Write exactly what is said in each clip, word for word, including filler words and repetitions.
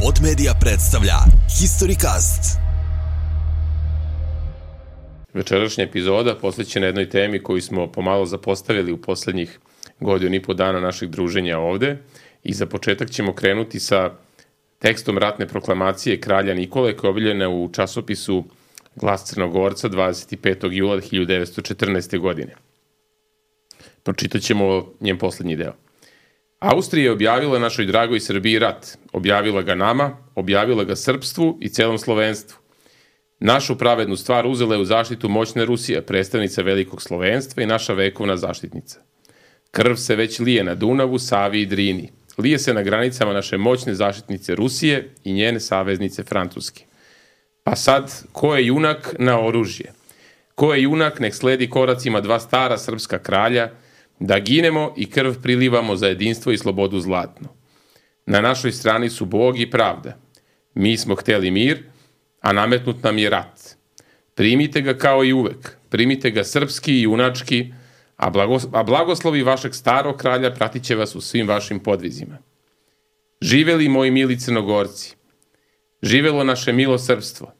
Pod Media predstavlja Historicast. Večerašnja epizoda posvećena jednoj temi koju smo pomalo zapostavili u poslednjih godinu i po dana našeg druženja ovde i za početak ćemo krenuti sa tekstom ratne proklamacije kralja Nikole koja je objavljena u časopisu Glas Crnogorca dvadeset petog jula hiljadu devetsto četrnaeste. godine. Pročitat ćemo njen poslednji deo. Austrija je objavila našoj dragoj Srbiji rat. Objavila ga nama, objavila ga srpstvu i celom slovenstvu. Našu pravednu stvar uzela je u zaštitu moćna Rusija, predstavnica velikog slovenstva i naša vekovna zaštitnica. Krv se već lije na Dunavu, Savi i Drini. Lije se na granicama naše moćne zaštitnice Rusije i njene saveznice Francuske. Pa sad, ko je junak na oružje? Ko je junak, nek sledi koracima dva stara srpska kralja, da ginemo i krv prilivamo za jedinstvo i slobodu zlatnu. Na našoj strani su Bog i pravda. Mi smo hteli mir, a nametnut nam je rat. Primite ga kao i uvek, primite ga srpski i junački, a, blagos- a blagoslovi vašeg starog kralja pratit će vas u svim vašim podvizima. Živeli moji mili Crnogorci, živelo naše milo srpstvo,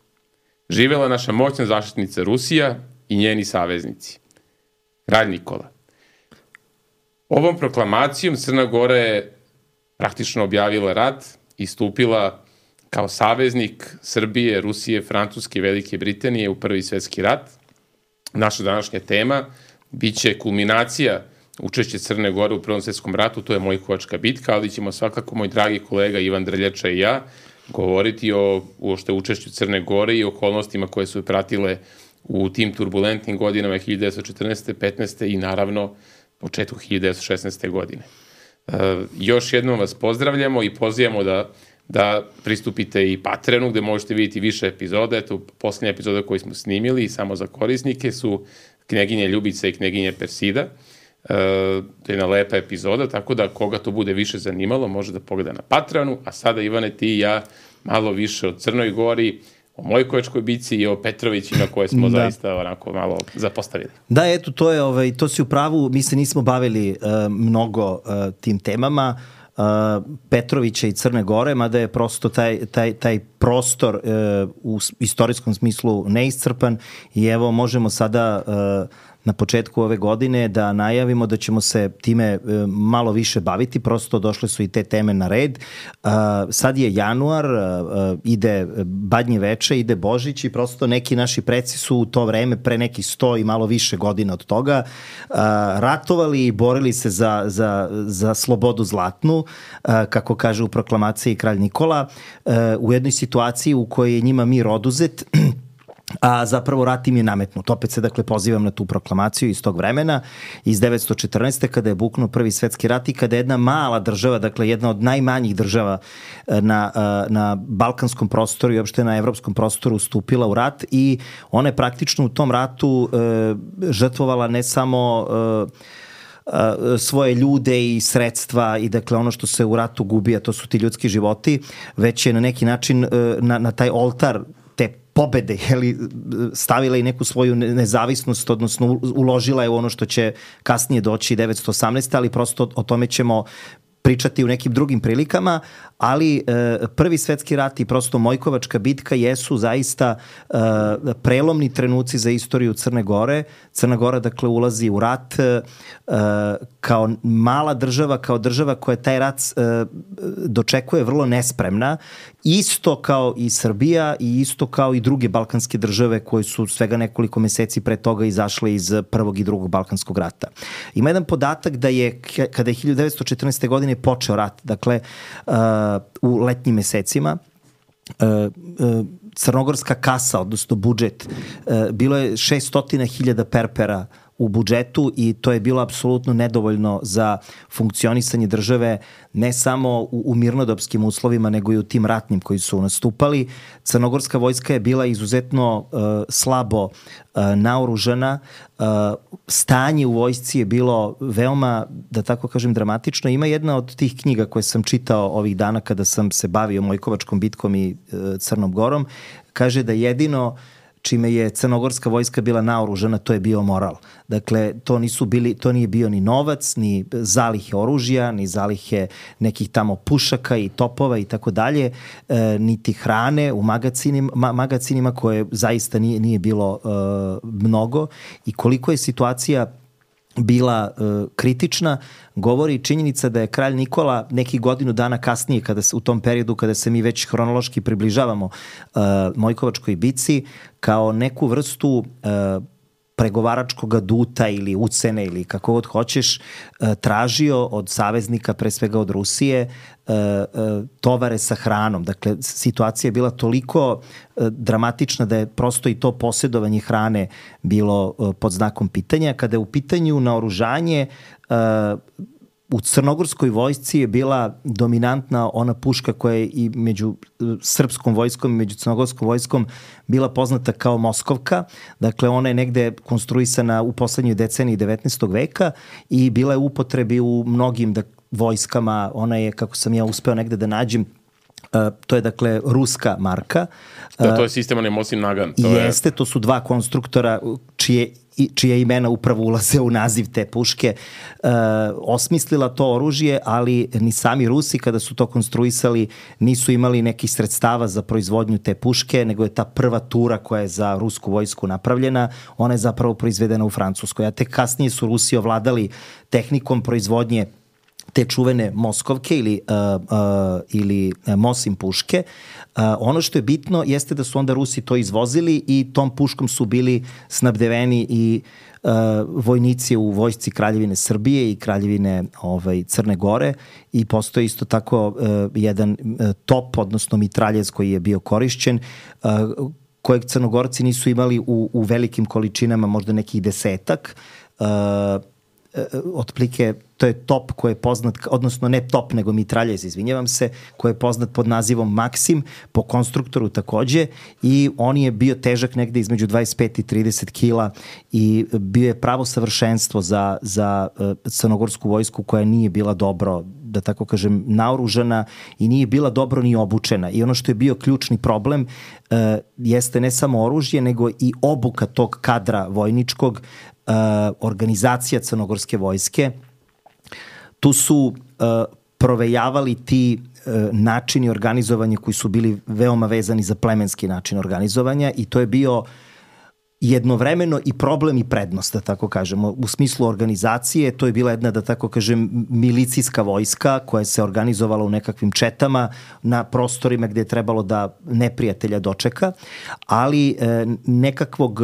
živela naša moćna zaštitnica Rusija i njeni saveznici. Kralj Nikola. Ovom proklamacijom Crna Gora je praktično objavila rat i stupila kao saveznik Srbije, Rusije, Francuske i Velike Britanije u Prvi svetski rat. Naša današnja tema biće kulminacija učešća Crne Gore u Prvom svetskom ratu, to je Mojkovačka bitka, ali ćemo svakako moj dragi kolega Ivan Drljača i ja govoriti o uopšte učešću Crne Gore i okolnostima koje su pratile u tim turbulentnim godinama hiljadu devetsto četrnaeste. petnaeste. i naravno početku hiljadu devetsto šesnaeste. godine. E, još jednom vas pozdravljamo i pozivamo da, da pristupite i Patreonu gde možete vidjeti više epizoda. Eto, poslednja epizoda koju smo snimili i samo za korisnike su Kneginje Ljubica i Kneginje Persida. E, to je jedna lepa epizoda, tako da koga to bude više zanimalo može da pogleda na Patreonu, a sada Ivane ti i ja malo više o Crnoj Gori, o Mojkovačkoj bici i o Petrovićima koje smo da. zaista onako malo zapostavili. Da, eto, to je, ovaj, to si u pravu, mi se nismo bavili uh, mnogo uh, tim temama, uh, Petrovića i Crne Gore, mada je prosto taj, taj, taj prostor uh, u istorijskom smislu neiscrpan i evo možemo sada uh, na početku ove godine da najavimo da ćemo se time malo više baviti, prosto došle su i te teme na red. Sad je januar, ide Badnje veče, ide Božić i prosto neki naši preci su u to vreme, pre nekih sto i malo više godina od toga, ratovali i borili se za, za, za slobodu zlatnu, kako kaže u proklamaciji kralj Nikola, u jednoj situaciji u kojoj je njima mir oduzet, a zapravo rat im je nametnut. Opet se dakle pozivam na tu proklamaciju iz tog vremena, iz devetsto četrnaeste. kada je buknuo Prvi svetski rat i kada je jedna mala država, dakle jedna od najmanjih država na, na balkanskom prostoru i uopšte na evropskom prostoru stupila u rat i ona je praktično u tom ratu e, žrtvovala ne samo e, svoje ljude i sredstva i dakle ono što se u ratu gubi, a to su ti ljudski životi, već je na neki način na, na taj oltar te pobede, jeli, stavila i neku svoju nezavisnost, odnosno uložila je u ono što će kasnije doći devetsto osamnaeste. ali prosto o tome ćemo pričati u nekim drugim prilikama, ali e, Prvi svetski rat i prosto Mojkovačka bitka jesu zaista e, prelomni trenuci za istoriju Crne Gore. Crna Gora dakle ulazi u rat e, kao mala država, kao država koja taj rat e, dočekuje vrlo nespremna, isto kao i Srbija i isto kao i druge balkanske države koje su svega nekoliko meseci pre toga izašle iz Prvog i Drugog balkanskog rata. Ima jedan podatak da je kada je hiljadu devetsto četrnaeste. godine počeo rat, dakle uh, u letnjim mesecima, uh, uh, crnogorska kasa, odnosno budžet, uh, bilo je šeststo hiljada perpera u budžetu i to je bilo apsolutno nedovoljno za funkcionisanje države ne samo u, u mirnodopskim uslovima nego i u tim ratnim koji su nastupali. Crnogorska vojska je bila izuzetno uh, slabo uh, naoružana, uh, stanje u vojsci je bilo veoma, da tako kažem, dramatično. Ima jedna od tih knjiga koje sam čitao ovih dana kada sam se bavio Mojkovačkom bitkom i uh, Crnom Gorom, kaže da jedino čime je crnogorska vojska bila naoružana, to je bio moral. Dakle, to nisu bili, to nije bio ni novac, ni zalihe oružja, ni zalihe nekih tamo pušaka i topova i tako dalje, e, niti hrane u magacinima, ma, magacinima koje zaista nije, nije bilo e, mnogo. I koliko je situacija bila e, kritična, govori činjenica da je kralj Nikola neki godinu dana kasnije, kada se, u tom periodu kada se mi već hronološki približavamo e, Mojkovačkoj bici, kao neku vrstu e, pregovaračkog aduta ili ucene ili kako god hoćeš, tražio od saveznika, pre svega od Rusije, tovare sa hranom. Dakle, situacija je bila toliko dramatična da je prosto i to posjedovanje hrane bilo pod znakom pitanja. Kada je u pitanju naoružanje, u crnogorskoj vojsci je bila dominantna ona puška koja je i među srpskom vojskom i među crnogorskom vojskom bila poznata kao Moskovka. Dakle, ona je negde konstruisana u poslednjoj deceniji devetnaestog veka i bila je u upotrebi u mnogim da, vojskama. Ona je, kako sam ja uspeo negde da nađem, Uh, to je dakle ruska marka. Uh, to, to je sistem onaj Mosin Nagan. To jeste, je... to su dva konstruktora čije, čije imena upravo ulaze u naziv te puške. Uh, osmislila to oružje, ali ni sami Rusi kada su to konstruisali nisu imali nekih sredstava za proizvodnju te puške, nego je ta prva tura koja je za rusku vojsku napravljena, ona je zapravo proizvedena u Francuskoj. A tek kasnije su Rusi ovladali tehnikom proizvodnje te čuvene Moskovke ili, uh, uh, ili Mosin puške. Uh, ono što je bitno jeste da su onda Rusi to izvozili i tom puškom su bili snabdeveni i uh, vojnici u vojsci Kraljevine Srbije i Kraljevine ovaj, Crne Gore i postoji isto tako uh, jedan uh, top, odnosno mitraljez koji je bio korišćen, uh, kojeg Crnogorci nisu imali u, u velikim količinama, možda nekih desetak. Uh, otplike, to je top koji je poznat, odnosno ne top, nego mitraljez, izvinjavam se, koji je poznat pod nazivom Maksim, po konstruktoru takođe, i on je bio težak negde između dvadeset pet i trideset kila i bio je pravo savršenstvo za, za crnogorsku vojsku koja nije bila dobro, da tako kažem, naoružana i nije bila dobro ni obučena. I ono što je bio ključni problem uh, jeste ne samo oružje, nego i obuka tog kadra vojničkog, Uh, organizacija crnogorske vojske. Tu su uh, provejavali ti uh, načini organizovanja koji su bili veoma vezani za plemenski način organizovanja i to je bio jednovremeno i problem i prednost, da tako kažemo. U smislu organizacije to je bila jedna, da tako kažem, milicijska vojska koja se organizovala u nekakvim četama na prostorima gde je trebalo da neprijatelja dočeka, ali uh, nekakvog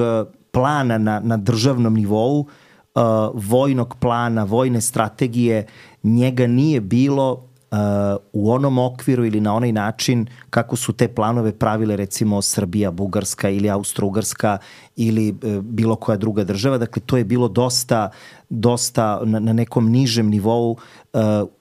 plana na, na državnom nivou, uh, vojnog plana, vojne strategije, njega nije bilo uh, u onom okviru ili na onaj način kako su te planove pravile recimo Srbija, Bugarska ili Austro-Ugarska ili uh, bilo koja druga država. Dakle, to je bilo dosta, dosta na, na nekom nižem nivou uh,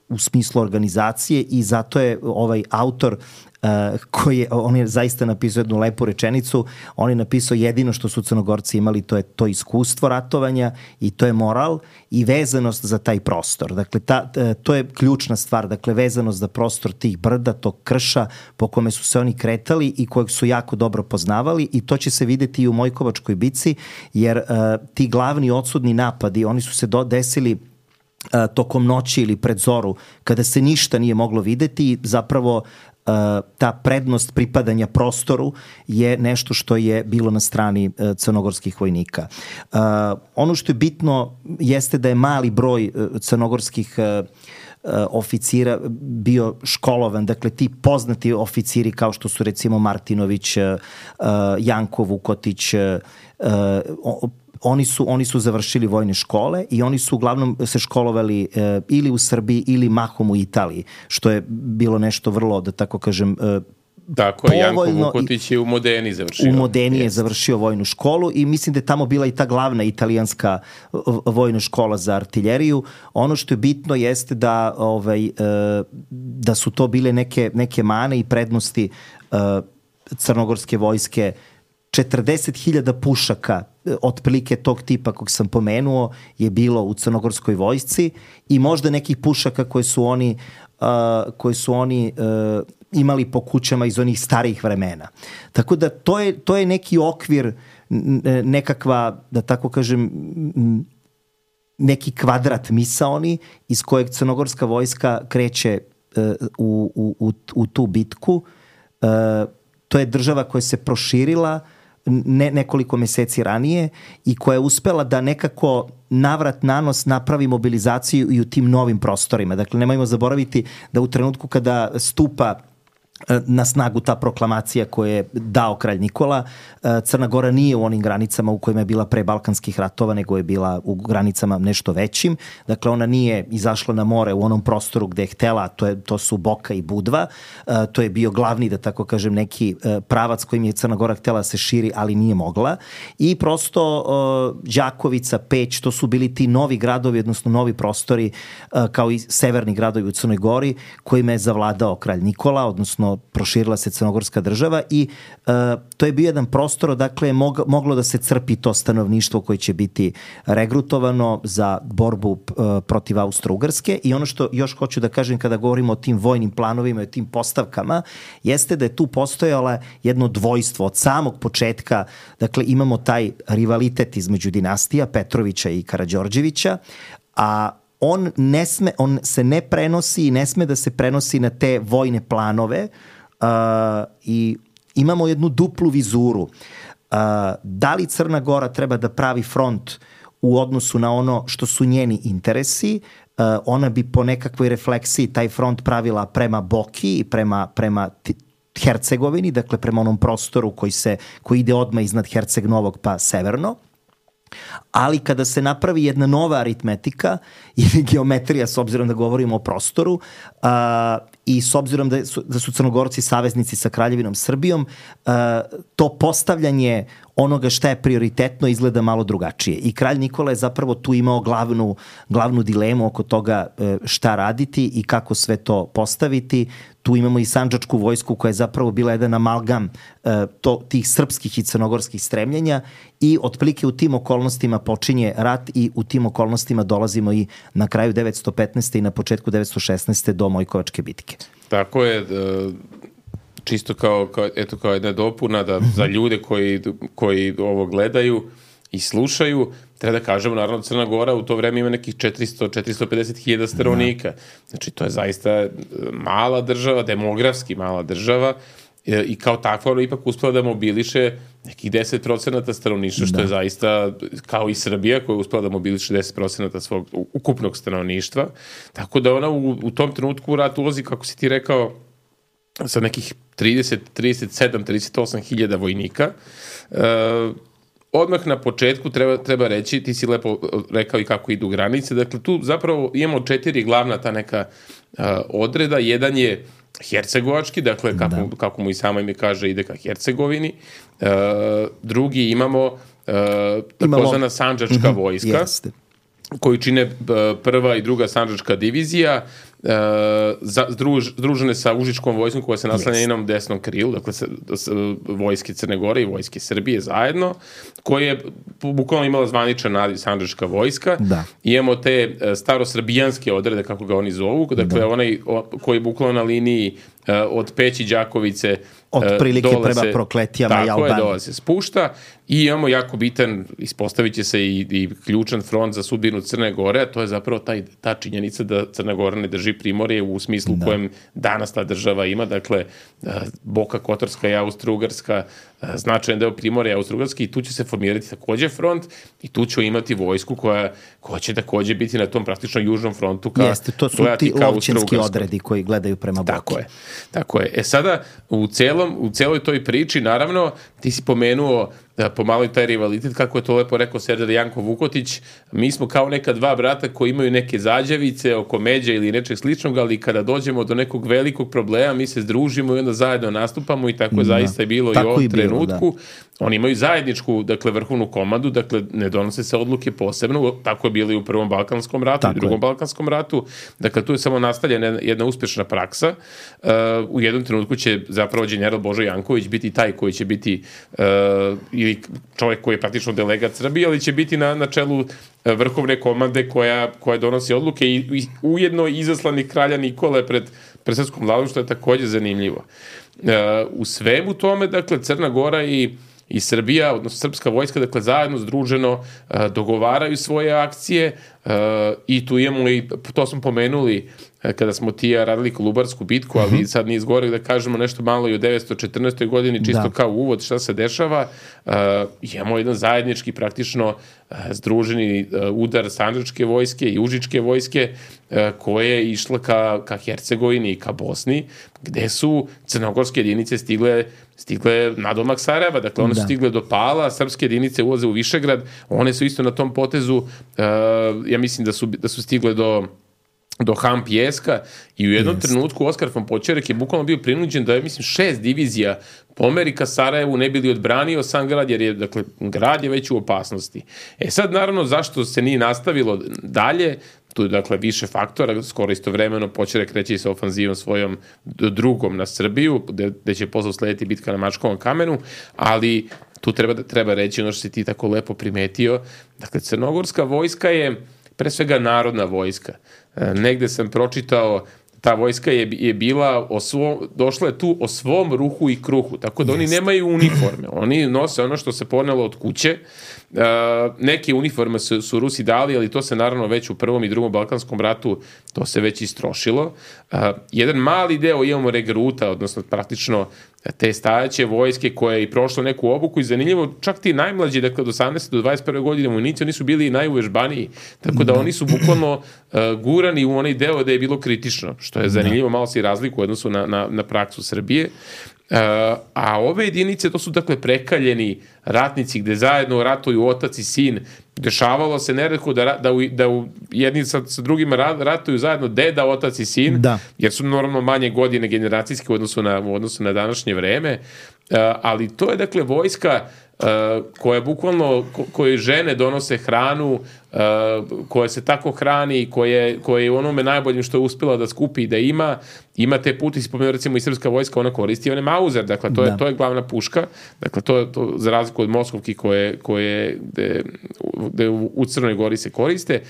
u smislu organizacije i zato je ovaj autor Uh, koji je, on je zaista napisao jednu lepu rečenicu, on je napisao jedino što su Crnogorci imali, to je to iskustvo ratovanja i to je moral i vezanost za taj prostor. Dakle, ta, to je ključna stvar, dakle, vezanost za prostor tih brda, tog krša po kome su se oni kretali i kojeg su jako dobro poznavali i to će se videti i u Mojkovačkoj bici, jer uh, ti glavni odsudni napadi, oni su se do, desili uh, tokom noći ili pred zoru, kada se ništa nije moglo videti i zapravo Uh, ta prednost pripadanja prostoru je nešto što je bilo na strani uh, crnogorskih vojnika. Uh, ono što je bitno jeste da je mali broj uh, crnogorskih uh, uh, oficira bio školovan, dakle ti poznati oficiri kao što su recimo Martinović, uh, uh, Janko Vukotić, uh, uh, Oni su, oni su završili vojne škole i oni su uglavnom se školovali e, ili u Srbiji ili mahom u Italiji, što je bilo nešto vrlo, da tako kažem, e, Tako je, Janko Vukotić je u Modeni završio. U Modeni je završio vojnu školu i mislim da je tamo bila i ta glavna italijanska vojna škola za artiljeriju. Ono što je bitno jeste da, ovaj, da su to bile neke, neke mane i prednosti crnogorske vojske. četrdeset hiljada pušaka otprilike tog tipa kog sam pomenuo je bilo u crnogorskoj vojsci i možda nekih pušaka koje su oni, uh, koje su oni uh, imali po kućama iz onih starijih vremena. Tako da to je, to je neki okvir nekakva, da tako kažem, neki kvadrat misaoni iz kojeg crnogorska vojska kreće u, u, u, u tu bitku. To je država koja se proširila ne, nekoliko meseci ranije i koja je uspela da nekako navrat nanos napravi mobilizaciju i u tim novim prostorima. Dakle, nemojmo zaboraviti da u trenutku kada stupa na snagu ta proklamacija koju je dao kralj Nikola, Crna Gora nije u onim granicama u kojima je bila pre Balkanskih ratova, nego je bila u granicama nešto većim. Dakle, ona nije izašla na more u onom prostoru gde je htela, to, je, to su Boka i Budva. To je bio glavni, da tako kažem, neki pravac kojim je Crna Gora htela da se širi, ali nije mogla. I prosto Đakovica, Peć, to su bili ti novi gradovi, odnosno novi prostori, kao i severni gradovi u Crnoj Gori, kojima je zavladao kralj Nikola, odnosno proširila se crnogorska država i uh, to je bio jedan prostor, dakle je mog, moglo da se crpi to stanovništvo koje će biti regrutovano za borbu uh, protiv Austro-Ugrske. I ono što još hoću da kažem kada govorimo o tim vojnim planovima i o tim postavkama, jeste da je tu postojala jedno dvojstvo od samog početka. Dakle, imamo taj rivalitet između dinastija Petrovića i Karađorđevića, a on ne sme, on se ne prenosi i ne sme da se prenosi na te vojne planove uh, i imamo jednu duplu vizuru. Uh, da li Crna Gora treba da pravi front u odnosu na ono što su njeni interesi? Uh, ona bi po nekakvoj refleksiji taj front pravila prema Boki i prema, prema t- Hercegovini, dakle prema onom prostoru koji, se, koji ide odmah iznad Herceg Novog pa severno. Ali kada se napravi jedna nova aritmetika ili geometrija, s obzirom da govorimo o prostoru uh, i s obzirom da su, da su Crnogorci saveznici sa Kraljevinom Srbijom, uh, to postavljanje onoga šta je prioritetno izgleda malo drugačije. I kralj Nikola je zapravo tu imao glavnu, glavnu dilemu oko toga šta raditi i kako sve to postaviti. Tu imamo i sandžačku vojsku koja je zapravo bila jedan amalgam to, tih srpskih i crnogorskih stremljenja i otprilike u tim okolnostima počinje rat i u tim okolnostima dolazimo i na kraju devetsto petnaeste. i na početku devetsto šesnaeste. do Mojkovačke bitke. Tako je, čisto kao, kao, eto, kao jedna dopuna da za ljude koji, koji ovo gledaju i slušaju, treba da kažemo, naravno, Crna Gora u to vreme ima nekih četiristo do četiristo pedeset hiljada stanovnika. Znači, to je zaista mala država, demografski mala država i kao takva ona ipak uspela da mobiliše nekih deset procenata stanovništva, što da. je zaista, kao i Srbija koja je uspela da mobiliše deset procenata svog ukupnog stanovništva. Tako da ona u, u tom trenutku u rat ulazi, kako si ti rekao, sa nekih trideset, trideset sedam, trideset osam hiljada vojnika. E, odmah na početku treba, treba reći, ti si lepo rekao i kako idu granice, dakle tu zapravo imamo četiri glavna ta neka uh, odreda. Jedan je hercegovački, dakle kako, da. kako mu i samo ime kaže, ide ka Hercegovini. Uh, drugi imamo uh, takozvana sandžačka mm-hmm, vojska, jeste. koju čine uh, prva i druga sandžačka divizija, Uh, za, združ, združene sa Užičkom vojskom koja se naslanja yes. jednom desnom krilu, dakle sa, sa, vojske Crne Gore i vojske Srbije zajedno, koja je bukvalno imala zvaničan naziv sandžačka vojska. Da. Imamo te uh, starosrbijanske odrede, kako ga oni zovu, dakle da. onaj o, koji je bukvalno na liniji uh, od Peći, Đakovice od prilike prema se, Prokletijama i Albanije. Tako je, dole se spušta i imamo jako bitan, ispostavit će se i, i ključan front za sudbinu Crne Gore, a to je zapravo taj, ta činjenica da Crna Gora ne drži primorje u smislu da. kojem danas ta država ima, dakle Boka Kotorska i Austro-Ugarska, značajan deo primorja Austro-Ugarske, i tu će se formirati takođe front i tu će imati vojsku koja, koja će takođe biti na tom praktično južnom frontu ka, Jeste, to su ti lovčinski odredi koji gledaju prema Boki. Tako je, tako je. E sada, u, celom, u celoj toj priči, naravno, ti si pomenuo da pomalo i taj rivalitet, kako je to lepo rekao Serdar Janko Vukotić, mi smo kao neka dva brata koji imaju neke zađevice oko međa ili nečeg sličnog, ali kada dođemo do nekog velikog problema, mi se združimo i onda zajedno nastupamo i tako je da. zaista je bilo tako i u ovom trenutku. Da. Oni imaju zajedničku, dakle, vrhovnu komandu, dakle, ne donose se odluke posebno, tako je bilo i u Prvom Balkanskom ratu tako i Drugom je. Balkanskom ratu, dakle, tu je samo nastavljena jedna uspešna praksa. Uh, u jednom trenutku će zapravo general Božo Janković biti taj koji će biti uh, ili čovjek koji je praktično delegat Srbije, ali će biti na, na čelu vrhovne komande koja, koja donosi odluke i, i ujedno izaslanih kralja Nikole pred, pred srpskom vladom, što je takođe zanimljivo. Uh, u svemu tome, dakle, Crna Gora i i Srbija, odnosno srpska vojska, dakle zajedno združeno dogovaraju svoje akcije i tu imamo i, to smo pomenuli kada smo ti radili Kolubarsku bitku, ali uh-huh. sad nije zgore da kažemo nešto malo i o devetsto četrnaestoj godini, čisto da. Kao uvod šta se dešava. Uh, imamo jedan zajednički praktično uh, združeni uh, udar sandžačke vojske i užičke vojske uh, koje je išla ka, ka Hercegovini i ka Bosni, gde su crnogorske jedinice stigle stigle nadomak Sarajeva, dakle one da. Su stigle do Pala, srpske jedinice ulaze u Višegrad, one su isto na tom potezu, uh, ja mislim da su, da su stigle do do Han Pjeska i u jednom yes. trenutku Oskar von Počerek je bukvalno bio prinuđen da je, mislim, šest divizija pomeri ka Sarajevu, ne bi li odbranio sam grad, jer je, dakle, grad je već u opasnosti. E sad, naravno, zašto se nije nastavilo dalje, tu je, dakle, više faktora, skoro istovremeno Počerek kreće sa ofanzivom svojom drugom na Srbiju, gde, gde će posle slediti bitka na Mačkovom kamenu, ali tu treba, treba reći ono što si ti tako lepo primetio, dakle, crnogorska vojska je pre svega narodna vojska. Negde sam pročitao, ta vojska je, je bila, o svom, došla je tu o svom ruhu i kruhu, tako da yes. oni nemaju uniforme, oni nose ono što se ponelo od kuće. Uh, neke uniforme su, su Rusi dali, ali to se naravno već u prvom i drugom Balkanskom ratu, to se već istrošilo. Uh, jedan mali deo imamo regruta, odnosno praktično te stajaće vojske koje je i prošlo neku obuku i zanimljivo, čak ti najmlađi, dakle od osamnaeste do dvadeset prve godine vojnici, oni su bili i najuvežbaniji, tako da oni su bukvalno uh, gurani u onaj deo da je bilo kritično, što je zanimljivo, malo se i razliku u odnosu na, na, na praksu Srbije. Uh, a ove jedinice, to su dakle prekaljeni ratnici gde zajedno ratuju otac i sin. Dešavalo se neretko da, da, u, da u jedni sa, sa drugima ratuju zajedno deda, otac i sin, da. Jer su normalno manje godine generacijske u odnosu na, u odnosu na današnje vreme. Uh, ali to je dakle vojska Uh, koje bukvalno, ko, koje žene donose hranu, uh, koje se tako hrani, koje, koje je u onome najboljim što je uspjela da skupi i da ima, ima te puti, spomenuo recimo i srpska vojska, ona koristi one Mauser, dakle to je, to je glavna puška, dakle to je to, za razliku od Moskovki koje, koje gde, gde u, u Crnoj Gori se koriste.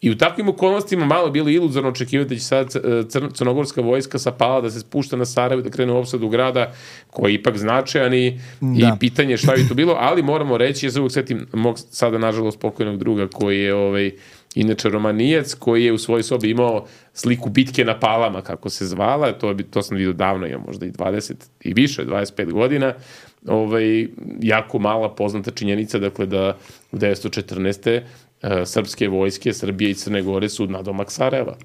I u takvim okolnostima malo bilo iluzorno očekivati da će sad cr- crnogorska vojska sa Pala da se spušta na Sarajevo, da krene u opsadu grada, koji je ipak značajan i, i pitanje šta bi to bilo, ali moramo reći, ja se uvijek setim mog sada nažalost pokojnog druga koji je ovaj, inače Romanijac, koji je u svojoj sobi imao sliku bitke na Palama, kako se zvala, to, je, to sam vidio davno, imam možda i dvadeset i više, dvadeset pet godina, ovaj, jako mala poznata činjenica, dakle da u devetsto četrnaeste srpske vojske, Srbije i Crne Gore su nadomak Sarajeva.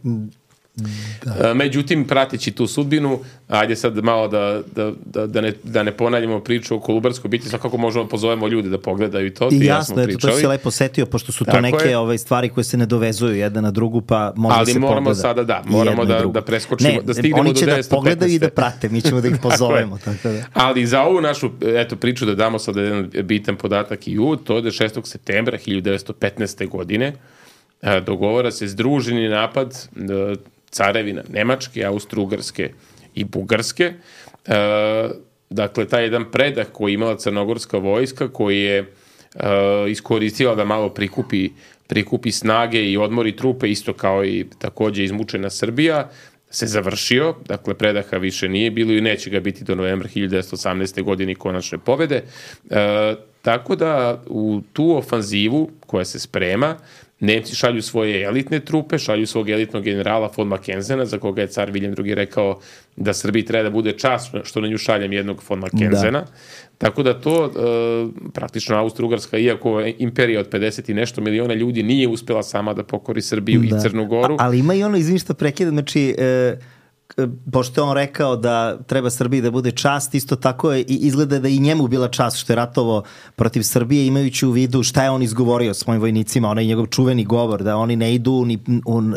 Da. Međutim, prateći tu sudbinu, ajde sad malo da, da, da, da, ne, da ne ponavljamo priču o Kolubarskoj bitci, svakako možemo pozovemo ljude da pogledaju i to. I jasno, ja eto, to si lepo setio, pošto su to tako neke ove stvari koje se ne dovezuju jedna na drugu, pa može ali se pogleda. Ali moramo sada, da, moramo da, da preskočimo, ne, da stignemo do devetsto petnaeste. Oni će da pogledaju i da prate, mi ćemo da ih pozovemo. tako tako da. Ali za ovu našu eto, priču da damo sad jedan bitan podatak i uvod, to je da šestog septembra hiljadu devetsto petnaeste. godine dogovara se združeni napad carevina Nemačke, Austro-Ugarske i Bugarske. E, dakle, taj jedan predah koji je imala crnogorska vojska, koji je e, iskoristila da malo prikupi, prikupi snage i odmori trupe, isto kao i takođe izmučena Srbija, se završio. Dakle, predaha više nije bilo i neće ga biti do novembra hiljadu devetsto osamnaeste. godine konačne pobede. E, tako da u tu ofanzivu koja se sprema, Nemci šalju svoje elitne trupe, šalju svog elitnog generala von Mackenzena, za koga je car Viljem drugi. rekao da Srbiji treba da bude čast što na nju šaljem jednog von Mackenzena. Da. Tako da to e, praktično Austro-Ugarska, iako je imperija od pedeset i nešto miliona ljudi, nije uspela sama da pokori Srbiju da. i Crnu Goru. A, ali ima i ono, izvini što prekidam, znači... E... pošto je on rekao da treba Srbiji da bude čast, isto tako je i izgleda da i njemu bila čast što je ratovo protiv Srbije, imajući u vidu šta je on izgovorio svojim vojnicima, onaj njegov čuveni govor da oni ne idu ni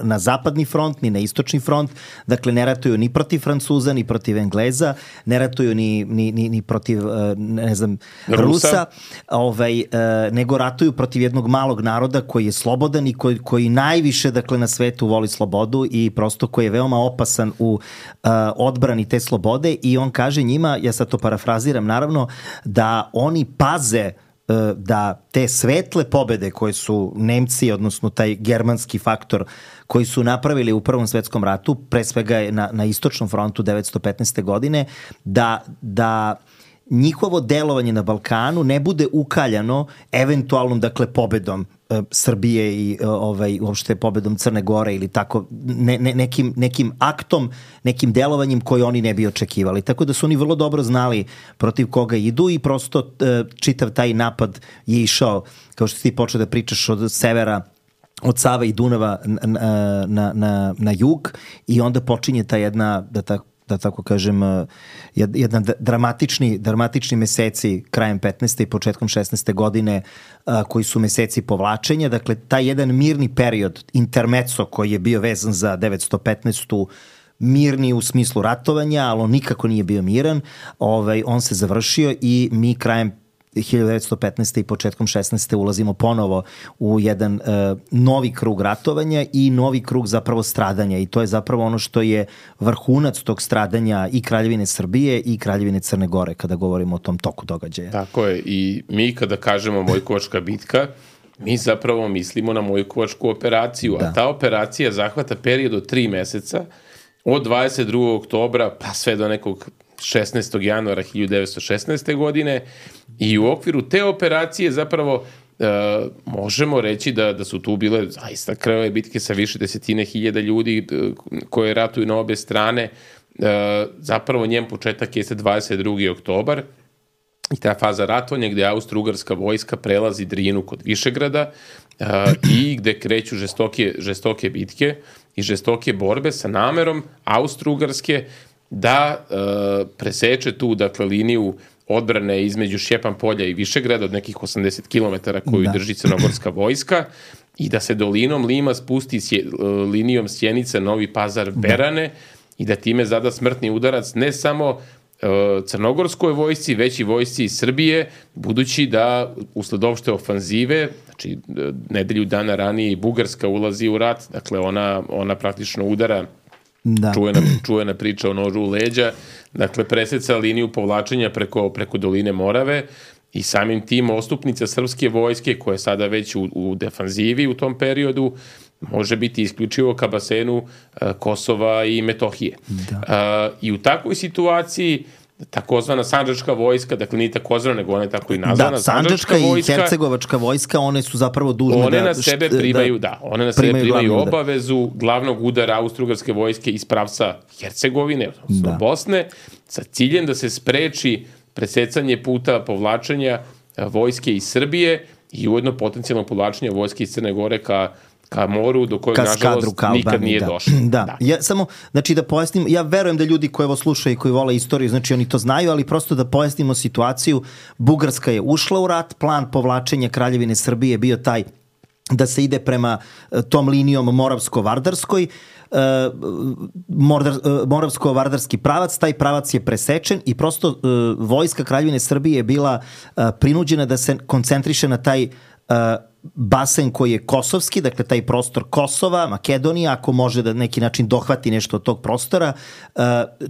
na zapadni front, ni na istočni front, dakle ne ratuju ni protiv Francuza, ni protiv Engleza, ne ratuju ni, ni, ni, ni protiv ne znam, Rusa, Rusa ovaj, nego ratuju protiv jednog malog naroda koji je slobodan i koji, koji najviše dakle, na svetu voli slobodu i prosto koji je veoma opasan u Uh, odbrani te slobode i on kaže njima, ja sad to parafraziram naravno, da oni paze uh, da te svetle pobede koje su Nemci, odnosno taj germanski faktor koji su napravili u Prvom svetskom ratu, pre svega na, na istočnom frontu devetsto petnaeste. godine, da, da njihovo delovanje na Balkanu ne bude ukaljano eventualnom, dakle, pobedom e, Srbije i e, ovaj, uopšte pobedom Crne Gore ili tako, ne, ne, nekim, nekim aktom, nekim delovanjem koje oni ne bi očekivali. Tako da su oni vrlo dobro znali protiv koga idu i prosto e, čitav taj napad je išao, kao što si ti počeo da pričaš, od severa, od Save i Dunava na, na, na, na jug, i onda počinje ta jedna, da tako da tako kažem, jedan dramatični, dramatični meseci krajem petnaeste i početkom šesnaeste godine, koji su meseci povlačenja. Dakle, taj jedan mirni period, intermezzo, koji je bio vezan za devetsto petnaestu, mirni u smislu ratovanja, ali on nikako nije bio miran, ovaj, on se završio i mi krajem hiljadu devetsto petnaeste i početkom šesnaeste ulazimo ponovo u jedan uh, novi krug ratovanja i novi krug zapravo stradanja, i to je zapravo ono što je vrhunac tog stradanja i Kraljevine Srbije i Kraljevine Crne Gore kada govorimo o tom toku događaja. Tako je, i mi kada kažemo Mojkovačka bitka, mi zapravo mislimo na Mojkovačku operaciju, da. A ta operacija zahvata period od tri meseca, od dvadeset drugog oktobra pa sve do nekog šesnaestog januara hiljadu devetsto šesnaeste. godine, i u okviru te operacije zapravo e, možemo reći da, da su tu bile zaista krvave bitke sa više desetine hiljada ljudi e, koje ratuju na obe strane. E, zapravo njen početak jeste dvadeset drugi oktobar i ta faza ratovanja gde austro-ugarska vojska prelazi Drinu kod Višegrada e, i gde kreću žestoke, žestoke bitke i žestoke borbe sa namerom austro-ugarske da e, preseče tu, dakle, liniju odbrane između Šćepan polja i Višegrada od nekih osamdeset kilometara koju da. drži crnogorska vojska, i da se dolinom Lima spusti sje, linijom Sjenica, Novi Pazar, Berane, da. i da time zada smrtni udarac ne samo e, crnogorskoj vojsci, već i vojsci iz Srbije, budući da usled opšte ofanzive, znači nedelju dana ranije i Bugarska ulazi u rat, dakle ona, ona praktično udara. Da. Čujena, čujena priča o nožu u leđa, dakle preseca liniju povlačenja preko, preko doline Morave, i samim tim ostupnica srpske vojske, koja je sada već u, u defanzivi u tom periodu, može biti isključivo ka basenu uh, Kosova i Metohije. Da. Uh, I u takvoj situaciji takozvana Sandžačka vojska, dakle nije takozvana, nego ona je tako i nazvana. Da, Sandžačka i Hercegovačka vojska, one su zapravo dužne one da... na sebe primaju, da, da one na sebe primaju obavezu glavnog udara austro-ugarske vojske iz pravca Hercegovine, odnosno da. Bosne, sa ciljem da se spreči presecanje puta povlačenja vojske iz Srbije i ujedno potencijalno povlačenje vojske iz Crne Gore ka ka moru, do kojeg, nažalost, nikad nije da. došlo. Da. da. Ja, samo, znači, da pojasnim, ja verujem da ljudi koji ovo slušaju i koji vole istoriju, znači, oni to znaju, ali prosto da pojasnimo situaciju. Bugarska je ušla u rat, plan povlačenja Kraljevine Srbije je bio taj da se ide prema tom linijom Moravsko-Vardarskoj, Moravsko-Vardarski pravac, taj pravac je presečen i prosto vojska Kraljevine Srbije je bila prinuđena da se koncentriše na taj basen koji je kosovski, dakle taj prostor Kosova, Makedonija, ako može da neki način dohvati nešto od tog prostora.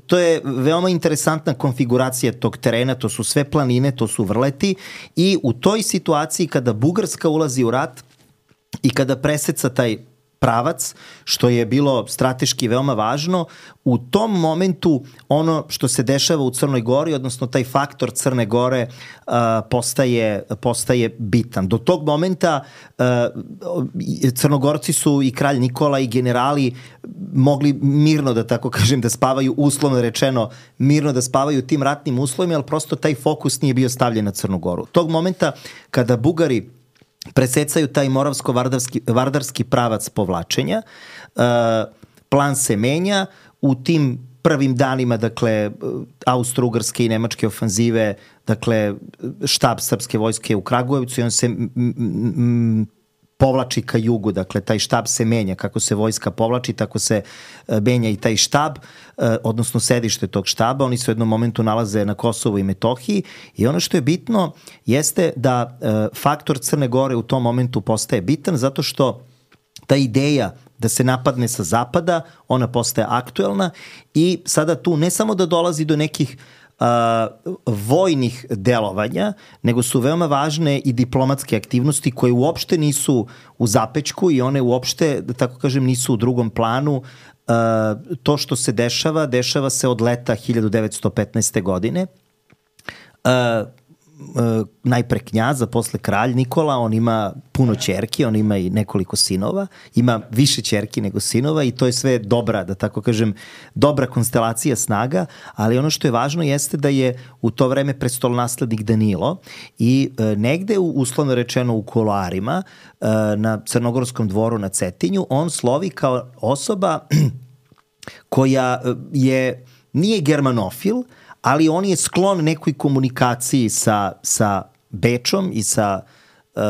To je veoma interesantna konfiguracija tog terena, to su sve planine, to su vrleti, i u toj situaciji kada Bugarska ulazi u rat i kada preseca taj pravac, što je bilo strateški veoma važno, u tom momentu ono što se dešava u Crnoj Gori, odnosno taj faktor Crne Gore uh, postaje, postaje bitan. Do tog momenta uh, Crnogorci su i kralj Nikola i generali mogli mirno, da tako kažem, da spavaju, uslovno rečeno, mirno da spavaju tim ratnim uslovima, ali prosto taj fokus nije bio stavljen na Crnu Goru. Tog momenta kada Bugari presecaju taj moravsko-vardarski vardarski pravac povlačenja, uh, plan se menja. U tim prvim danima, dakle, austro-ugarske i nemačke ofanzive, dakle, štab srpske vojske u Kragujevcu, i on se m, m, povlači ka jugu, dakle, taj štab se menja. Kako se vojska povlači, tako se menja i taj štab, odnosno sedište tog štaba. Oni se u jednom momentu nalaze na Kosovu i Metohiji, i ono što je bitno jeste da faktor Crne Gore u tom momentu postaje bitan, zato što ta ideja da se napadne sa zapada, ona postaje aktuelna, i sada tu ne samo da dolazi do nekih Uh, vojnih delovanja, nego su veoma važne i diplomatske aktivnosti koje uopšte nisu u zapećku i one uopšte, da tako kažem, nisu u drugom planu. Uh, to što se dešava, dešava se od leta hiljadu devetsto petnaeste. godine. Uh, Uh, najpre knjaza, posle kralj Nikola, on ima puno ćerki, on ima i nekoliko sinova, ima više ćerki nego sinova i to je sve dobra, da tako kažem, dobra konstelacija snaga, ali ono što je važno jeste da je u to vreme prestolonaslednik Danilo i uh, negde, u, uslovno rečeno u kuloarima, uh, na Crnogorskom dvoru na Cetinju, on slovi kao osoba koja je, nije germanofil, ali on je sklon nekoj komunikaciji sa, sa Bečom i sa, uh,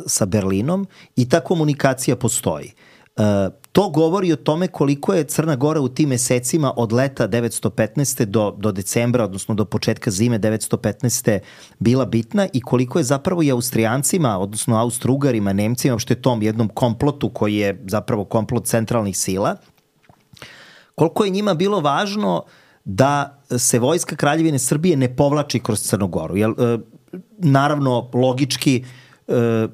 sa Berlinom i ta komunikacija postoji. Uh, to govori o tome koliko je Crna Gora u tim mesecima od leta devetsto petnaeste do, do decembra, odnosno do početka zime devetsto petnaeste bila bitna i koliko je zapravo i Austrijancima, odnosno Austrougarima, Nemcima, što je tom jednom komplotu koji je zapravo komplot centralnih sila, koliko je njima bilo važno da se vojska Kraljevine Srbije ne povlači kroz Crnu Goru. Jer, e, naravno, logički, e,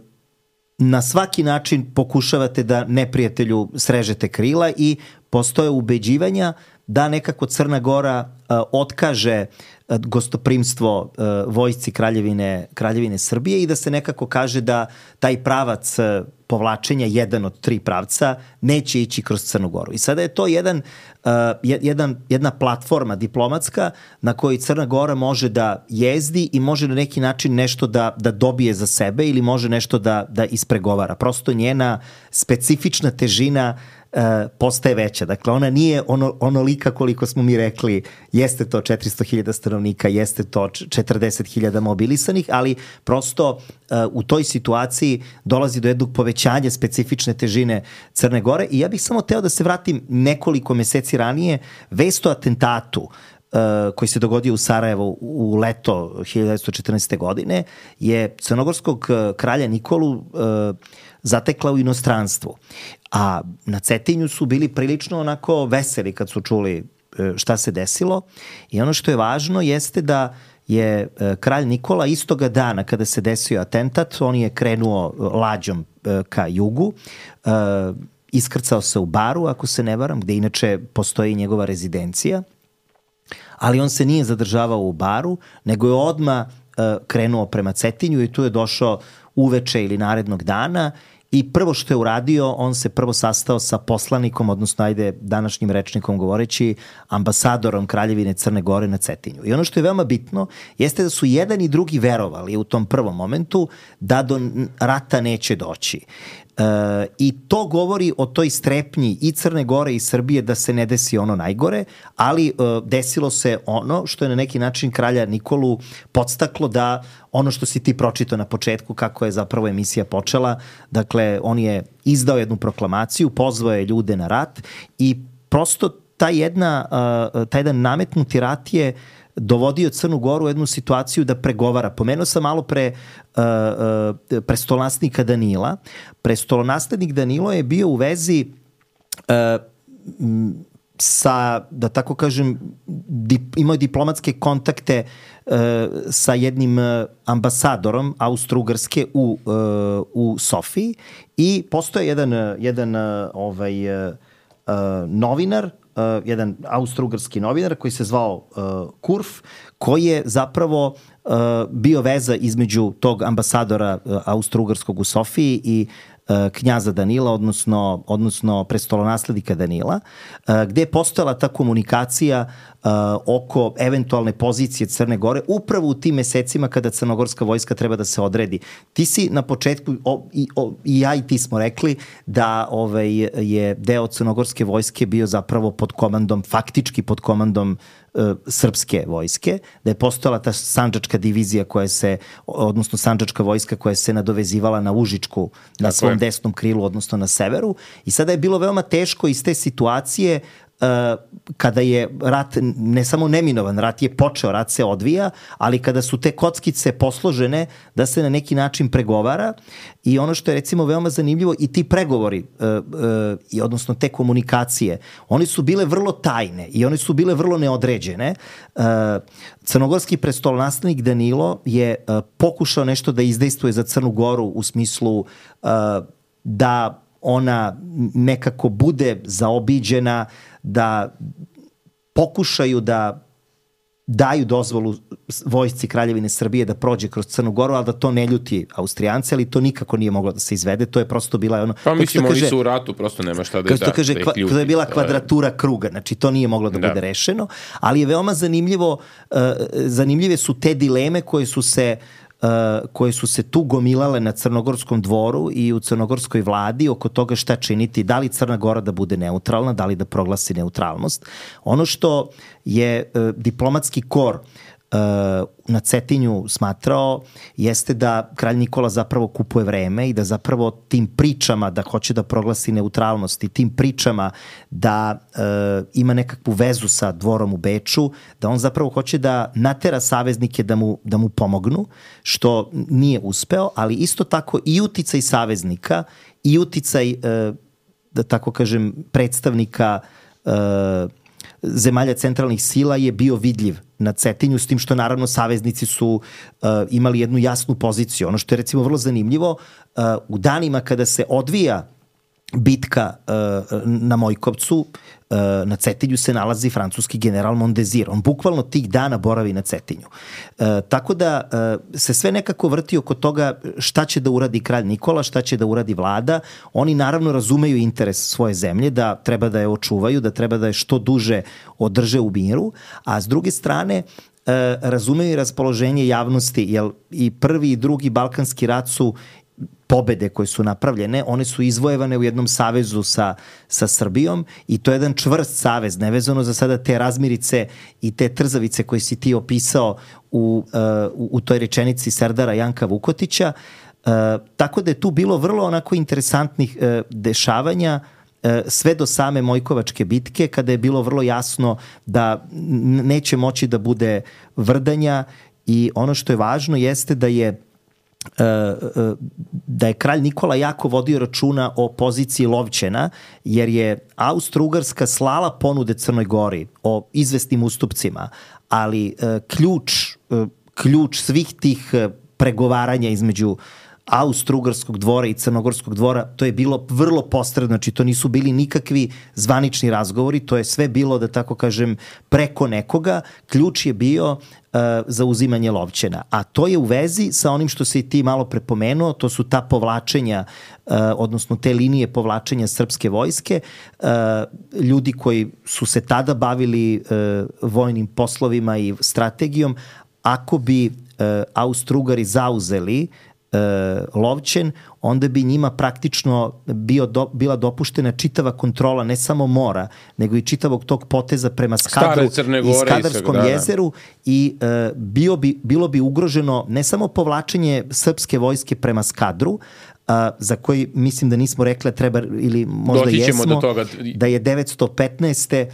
na svaki način pokušavate da neprijatelju srežete krila i postoje ubeđivanja da nekako Crna Gora e, otkaže gostoprimstvo e, vojsci Kraljevine, Kraljevine Srbije i da se nekako kaže da taj pravac e, povlačenja, jedan od tri pravca, neće ići kroz Crnu Goru. I sada je to jedan, uh, jedan, jedna platforma diplomatska na kojoj Crna Gora može da jezdi i može na neki način nešto da, da dobije za sebe ili može nešto da, da ispregovara. Prosto njena specifična težina uh, postaje veća. Dakle, ona nije ono, onolika koliko smo mi rekli, jeste to četiristo hiljada stanovnika, jeste to četrdeset hiljada mobilisanih, ali prosto uh, u toj situaciji dolazi do jednog povećanja specifične težine Crne Gore i ja bih samo teo da se vratim nekoliko meseci ranije, vest o atentatu uh, koji se dogodio u Sarajevu u leto hiljadu devetsto četrnaeste. godine je crnogorskog kralja Nikolu uh, zatekla u inostranstvu. A na Cetinju su bili prilično onako veseli kad su čuli uh, šta se desilo i ono što je važno jeste da je kralj Nikola istoga dana kada se desio atentat, on je krenuo lađom ka jugu, iskrcao se u Baru, ako se ne varam, gde inače postoji njegova rezidencija, ali on se nije zadržavao u Baru, nego je odmah krenuo prema Cetinju i tu je došao uveče ili narednog dana i prvo što je uradio, on se prvo sastao sa poslanikom, odnosno ajde današnjim rečnikom govoreći, ambasadorom Kraljevine Crne Gore na Cetinju. I ono što je veoma bitno jeste da su jedan i drugi verovali u tom prvom momentu da do rata neće doći. E, I to govori o toj strepnji i Crne Gore i Srbije da se ne desi ono najgore, ali e, desilo se ono što je na neki način kralja Nikolu podstaklo da ono što si ti pročitao na početku kako je zapravo emisija počela, dakle on je izdao jednu proklamaciju, pozvao je ljude na rat i prosto ta jedna, uh, taj jedan nametnuti rat je dovodio Crnu Goru u jednu situaciju da pregovara. Pomenuo sam malo pre uh, uh, prestolonaslednika Danila. Prestolonaslednik Danilo je bio u vezi uh, sa, da tako kažem, dip, imao je diplomatske kontakte uh, sa jednim uh, ambasadorom Austro-Ugarske u, uh, u Sofiji i postoje jedan, jedan uh, ovaj, uh, uh, novinar, Uh, jedan austro-ugarski novinar koji se zvao uh, Kurf, koji je zapravo uh, bio veza između tog ambasadora uh, austro-ugarskog u Sofiji i uh, knjaza Danila, odnosno, odnosno prestolonaslednika Danila, uh, gde je postojala ta komunikacija uh, oko eventualne pozicije Crne Gore upravo u tim mesecima kada crnogorska vojska treba da se odredi. Ti si na početku, o, i, o, i ja i ti smo rekli da ovaj, je deo crnogorske vojske bio zapravo pod komandom, faktički pod komandom srpske vojske, da je postojala ta sandžačka divizija koja se, odnosno sandžačka vojska koja se nadovezivala na Užičku na svom je. desnom krilu, odnosno na severu. I sada je bilo veoma teško iz te situacije uh, kada je rat, ne samo neminovan, rat je počeo, rat se odvija, ali kada su te kockice posložene da se na neki način pregovara i ono što je recimo veoma zanimljivo i ti pregovori, uh, uh, i odnosno te komunikacije, one su bile vrlo tajne i one su bile vrlo neodređene. Uh, crnogorski prestolonaslednik Danilo je uh, pokušao nešto da izdejstvuje za Crnu Goru u smislu uh, da ona nekako bude zaobiđena, da pokušaju da daju dozvolu vojsci Kraljevine Srbije da prođe kroz Crnu Goru, ali da to ne ljuti Austrijanci, ali to nikako nije moglo da se izvede, to je prosto bila ono... Pa mislim, oni su u ratu, prosto nema šta da, da, kaže, da ih ljuti. To je bila kvadratura kruga, znači to nije moglo da, da. bude rešeno, ali je veoma zanimljivo, uh, zanimljive su te dileme koje su se Uh, koje su se tu gomilale na Crnogorskom dvoru i u crnogorskoj vladi oko toga šta činiti, da li Crna Gora da bude neutralna, da li da proglasi neutralnost. Ono što je uh, diplomatski kor uh, na Cetinju smatrao jeste da kralj Nikola zapravo kupuje vreme i da zapravo tim pričama da hoće da proglasi neutralnost i tim pričama da e, ima nekakvu vezu sa dvorom u Beču, da on zapravo hoće da natera saveznike da mu, da mu pomognu, što nije uspeo, ali isto tako i uticaj saveznika i uticaj, e, da tako kažem, predstavnika e, zemalja centralnih sila je bio vidljiv na Cetinju, s tim što naravno saveznici su uh, imali jednu jasnu poziciju. Ono što je recimo vrlo zanimljivo, uh, u danima kada se odvija bitka uh, na Mojkovcu, uh, na Cetinju se nalazi francuski general Mondezir. On bukvalno tih dana boravi na Cetinju. Uh, tako da uh, se sve nekako vrti oko toga šta će da uradi kralj Nikola, šta će da uradi vlada. Oni naravno razumeju interes svoje zemlje, da treba da je očuvaju, da treba da je što duže održe u miru, a s druge strane uh, razumeju i raspoloženje javnosti, jer i prvi i drugi Balkanski rat su pobede koje su napravljene, one su izvojevane u jednom savezu sa, sa Srbijom i to je jedan čvrst savez, nevezano za sada te razmirice i te trzavice koje si ti opisao u, uh, u toj rečenici Serdara Janka Vukotića. Uh, tako da je tu bilo vrlo onako interesantnih uh, dešavanja uh, sve do same Mojkovačke bitke, kada je bilo vrlo jasno da neće moći da bude vrdanja i ono što je važno jeste da je da je kralj Nikola jako vodio računa o poziciji Lovćena, jer je Austro-Ugarska slala ponude Crnoj Gori o izvesnim ustupcima, ali ključ, ključ svih tih pregovaranja između Austro-Ugarskog dvora i Crnogorskog dvora, to je bilo vrlo posredno, znači to nisu bili nikakvi zvanični razgovori, to je sve bilo, da tako kažem, preko nekoga. Ključ je bio uh, za uzimanje Lovćena, a to je u vezi sa onim što se i ti malo prepomenuo, to su ta povlačenja, uh, odnosno te linije povlačenja srpske vojske. Uh, ljudi koji su se tada bavili uh, vojnim poslovima i strategijom, ako bi uh, Austro-Ugari zauzeli Lovćen, onda bi njima praktično bio do, bila dopuštena čitava kontrola ne samo mora, nego i čitavog tog poteza prema Skadru i Skadarskom i da, jezeru i e, bio bi, bilo bi ugroženo ne samo povlačenje srpske vojske prema Skadru, a, za koji mislim da nismo rekli treba ili možda Doći jesmo, do toga. Da je devetsto petnaeste.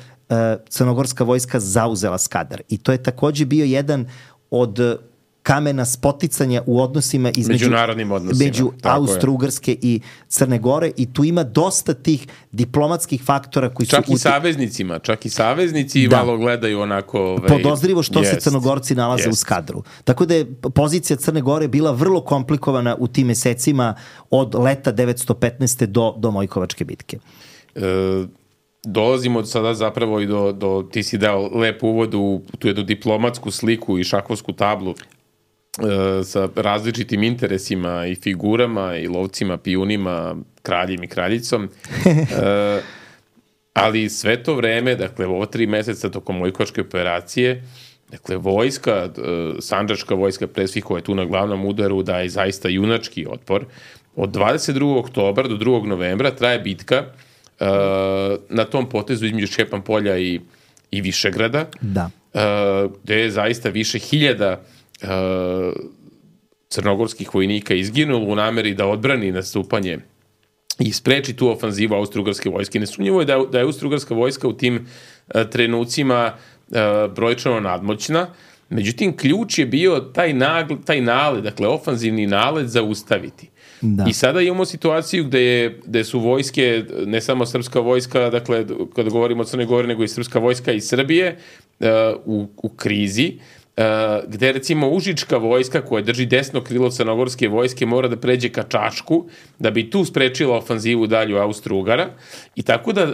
Crnogorska vojska zauzela Skadar. I to je takođe bio jedan od kamena spoticanja u odnosima između međunarodnim odnosima, među Austro-Ugarske i Crne Gore i tu ima dosta tih diplomatskih faktora koji čak su... Čak i saveznicima, čak i saveznici da. malo gledaju onako... Ovaj, podozrivo što jest, se Crnogorci nalaze jest. u Skadru. Tako da je pozicija Crne Gore bila vrlo komplikovana u tim mesecima od leta devetsto petnaeste. do, do Mojkovačke bitke. E, dolazimo sada zapravo i do, do ti si dao lep uvod u tu jednu diplomatsku sliku i šahovsku tablu sa različitim interesima i figurama i lovcima, pijunima, kraljem i kraljicom. e, ali sve to vreme, dakle, ovo tri meseca tokom Mojkovačke operacije, dakle, vojska, sandžačka vojska pre svih koja je tu na glavnom udaru daje zaista junački otpor. Od dvadeset drugog oktobra do drugog novembra traje bitka e, na tom potezu između Šćepan-polja i, i Višegrada, da. e, gde je zaista više hiljada Uh, crnogorskih vojnika izginulo u nameri da odbrani nastupanje i spreči tu ofanzivu Austro-Ugarske vojske. Nesumnjivo je da, da je Austro-Ugarska vojska u tim uh, trenucima uh, brojčano nadmoćna, međutim ključ je bio taj, nagl, taj nalet, dakle ofanzivni nalet zaustaviti. Da. I sada imamo situaciju gde, je, gde su vojske, ne samo srpska vojska, dakle kada govorimo o Crnoj Gori, nego i srpska vojska iz Srbije uh, u, u krizi, Uh, gde recimo Užička vojska koja drži desno krilo crnogorske vojske mora da pređe ka Čačku da bi tu sprečila ofanzivu dalju Austro-Ugara i tako da uh,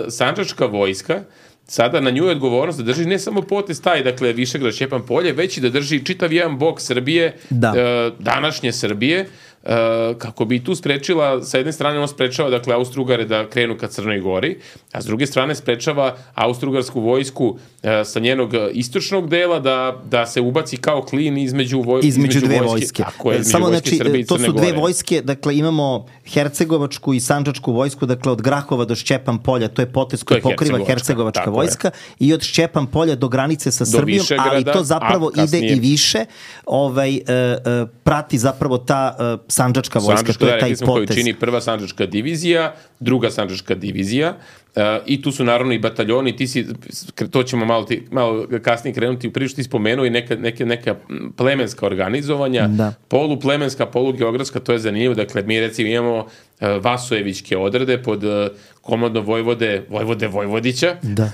sandžačka vojska sada na nju je odgovornost da drži ne samo potez taj, dakle Višegrad, Šćepan polje, već i da drži čitav jedan bok Srbije, da. e, današnje Srbije, Uh, kako bi tu sprečila, sa jedne strane on sprečava dakle Austro-Ugare da krenu ka Crnoj Gori, a s druge strane sprečava Austro-Ugarsku vojsku uh, sa njenog istočnog dela da, da se ubaci kao klin između, voj, između, između dve vojske. vojske. Tako je, između Samo vojske znači, Srbije i to Crne su dve Gore. vojske, dakle imamo Hercegovačku i Sandžačku vojsku, dakle od Grahova do Šćepan polja, to je potez koji pokriva Hercegovačka, Hercegovačka vojska je. I od Šćepan polja do granice sa Srbijom, ali to zapravo ide i više, ovaj, uh, uh, prati zapravo ta uh, Sandžačka vojska. Sandžačka, to je taj potez. Koju čini prva Sandžačka divizija, druga Sandžačka divizija, uh, i tu su naravno i bataljoni, ti si, to ćemo malo, ti, malo kasnije krenuti u priču, ti spomenuo i neka, neka, neka plemenska organizovanja, da. Poluplemenska, polugeografska, to je zanimljivo, dakle mi recimo imamo uh, Vasojevićke odrede pod uh, komandom Vojvode, Vojvode Vojvodića, da.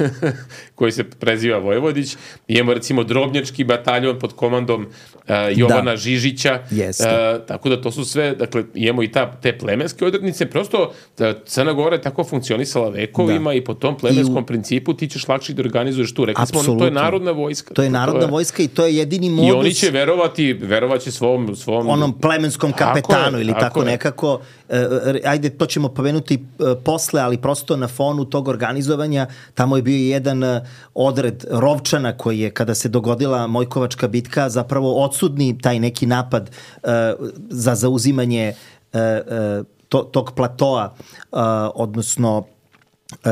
koji se preziva Vojvodić, imamo recimo Drobnjački bataljon pod komandom uh, Jovana da. Žižića, uh, tako da to su sve, dakle imamo i ta, te plemenske odrednice, prosto da Crna Gora je tako funkcionisala vekovima da. I po tom plemenskom u... principu ti ćeš lakše da organizuješ tu. Rekli Absolutno. Smo, to je narodna vojska. To je narodna to je... vojska i to je jedini modus. I oni će verovati, verovaće svom... svom... onom plemenskom kapetanu tako ili tako, tako nekako. Uh, ajde, to ćemo pomenuti uh, posle, ali prosto na fonu tog organizovanja, tamo je bio jedan uh, odred Rovčana koji je, kada se dogodila Mojkovačka bitka, zapravo odsudni taj neki napad uh, za zauzimanje uh, uh, to, tog platoa, uh, odnosno uh,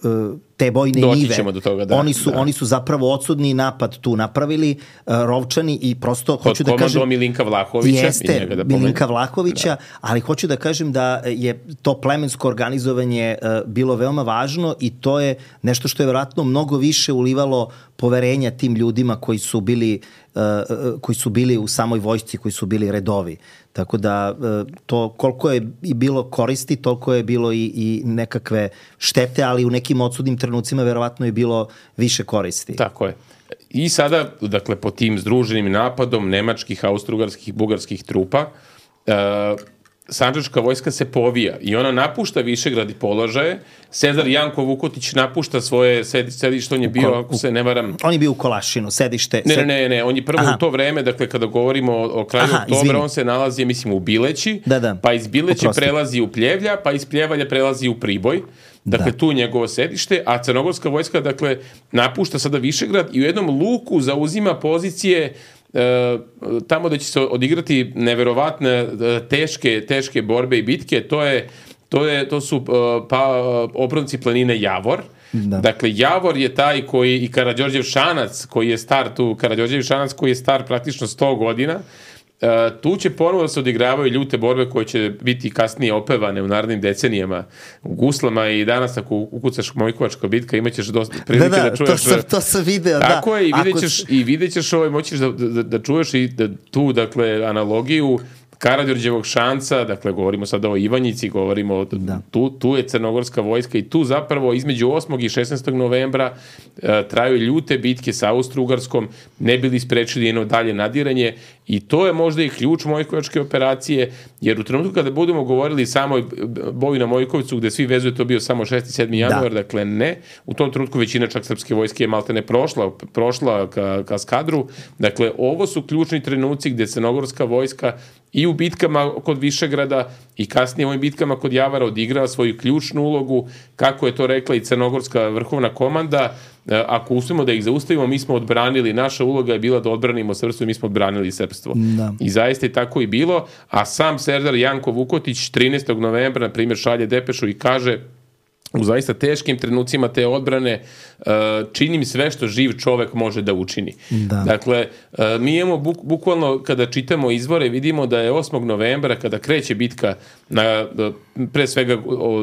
uh, te bojne Doći nive. ćemo do toga, da, oni su da. oni su zapravo odsudni napad tu napravili, uh, Rovčani, i prosto Pod hoću da kažem Milinka Vlahovića, jeste da Milinka Vlahovića, da. Ali hoću da kažem da je to plemensko organizovanje uh, bilo veoma važno i to je nešto što je vjerojatno mnogo više ulivalo poverenja tim ljudima koji su bili uh, koji su bili u samoj vojsci, koji su bili redovi. Tako da uh, to koliko je i bilo koristi, toliko je bilo i, i nekakve štete, ali u nekim odsudnim trenucima verovatno je bilo više koristi. Tako je. I sada, dakle, po tim združenim napadom nemačkih, austrougarskih, bugarskih trupa, uh, Sandžačka vojska se povija i ona napušta Višegrad i položaje. Sezar Janko Vukotić napušta svoje sedište, on je bio, ako se ne varam... On je bio u Kolašinu, sedište... Ne, ne, ne, ne, on je prvo Aha. u to vreme, dakle, kada govorimo o, o kraju Aha, oktobra, izvini. On se nalazi, mislim, u Bileći, da, da. Pa iz Bileće Oprosti. Prelazi u Pljevlja, pa iz Pljevalja prelazi u Priboj. Dakle, da. Tu njegovo sedište, a crnogorska vojska, dakle, napušta sada Višegrad i u jednom luku zauzima pozicije e, tamo da će se odigrati neverovatne teške, teške borbe i bitke. To je, to je, to su pa, obronci planine Javor. Da. Dakle, Javor je taj koji, i Karađorđev Šanac, koji je star tu, Karađorđev Šanac koji je star praktično sto godina, Uh, tu će ponovo da se odigravaju ljute borbe koje će biti kasnije opevane u narednim decenijama u guslama i danas ako ukucaš Mojkovačka bitka imaćeš dosta prilike da, da, da čuješ. To sam, to sam video, tako da. Tako je, i vidjet ćeš, ako... i vidjet ćeš ovaj, moćeš da, da, da čuješ i da, tu, dakle, analogiju Karađorđevog Šanca, dakle, govorimo sada o Ivanjici, govorimo o, da. tu, tu je crnogorska vojska i tu zapravo između osmog i šesnaestog novembra uh, traju ljute bitke sa Austro-Ugarskom, ne bili sprečili jedno dalje nadiranje i to je možda i ključ Mojkovačke operacije, jer u trenutku kada budemo govorili samo boju na Mojkovcu, gde svi vezuju to bio samo šesti i sedmi januar, da. Dakle, ne, u tom trenutku većina čak srpske vojske je malte ne prošla, prošla ka, ka skadru, dakle, ovo su ključni trenuci gde crnogorska vojska i u bitkama kod Višegrada i kasnije u ovim bitkama kod Javara odigrava svoju ključnu ulogu, kako je to rekla i crnogorska vrhovna komanda. Ako uspemo da ih zaustavimo, mi smo odbranili, naša uloga je bila da odbranimo srpstvo i mi smo odbranili srpstvo. Da. I zaista je tako i bilo, a sam Serdar Janko Vukotić trinaestog novembra, na primjer, šalje depešu i kaže: u zaista teškim trenucima te odbrane činim sve što živ čovek može da učini. Da. Dakle, mi imamo buk, bukvalno kada čitamo izvore vidimo da je osmog novembra kada kreće bitka na, pre svega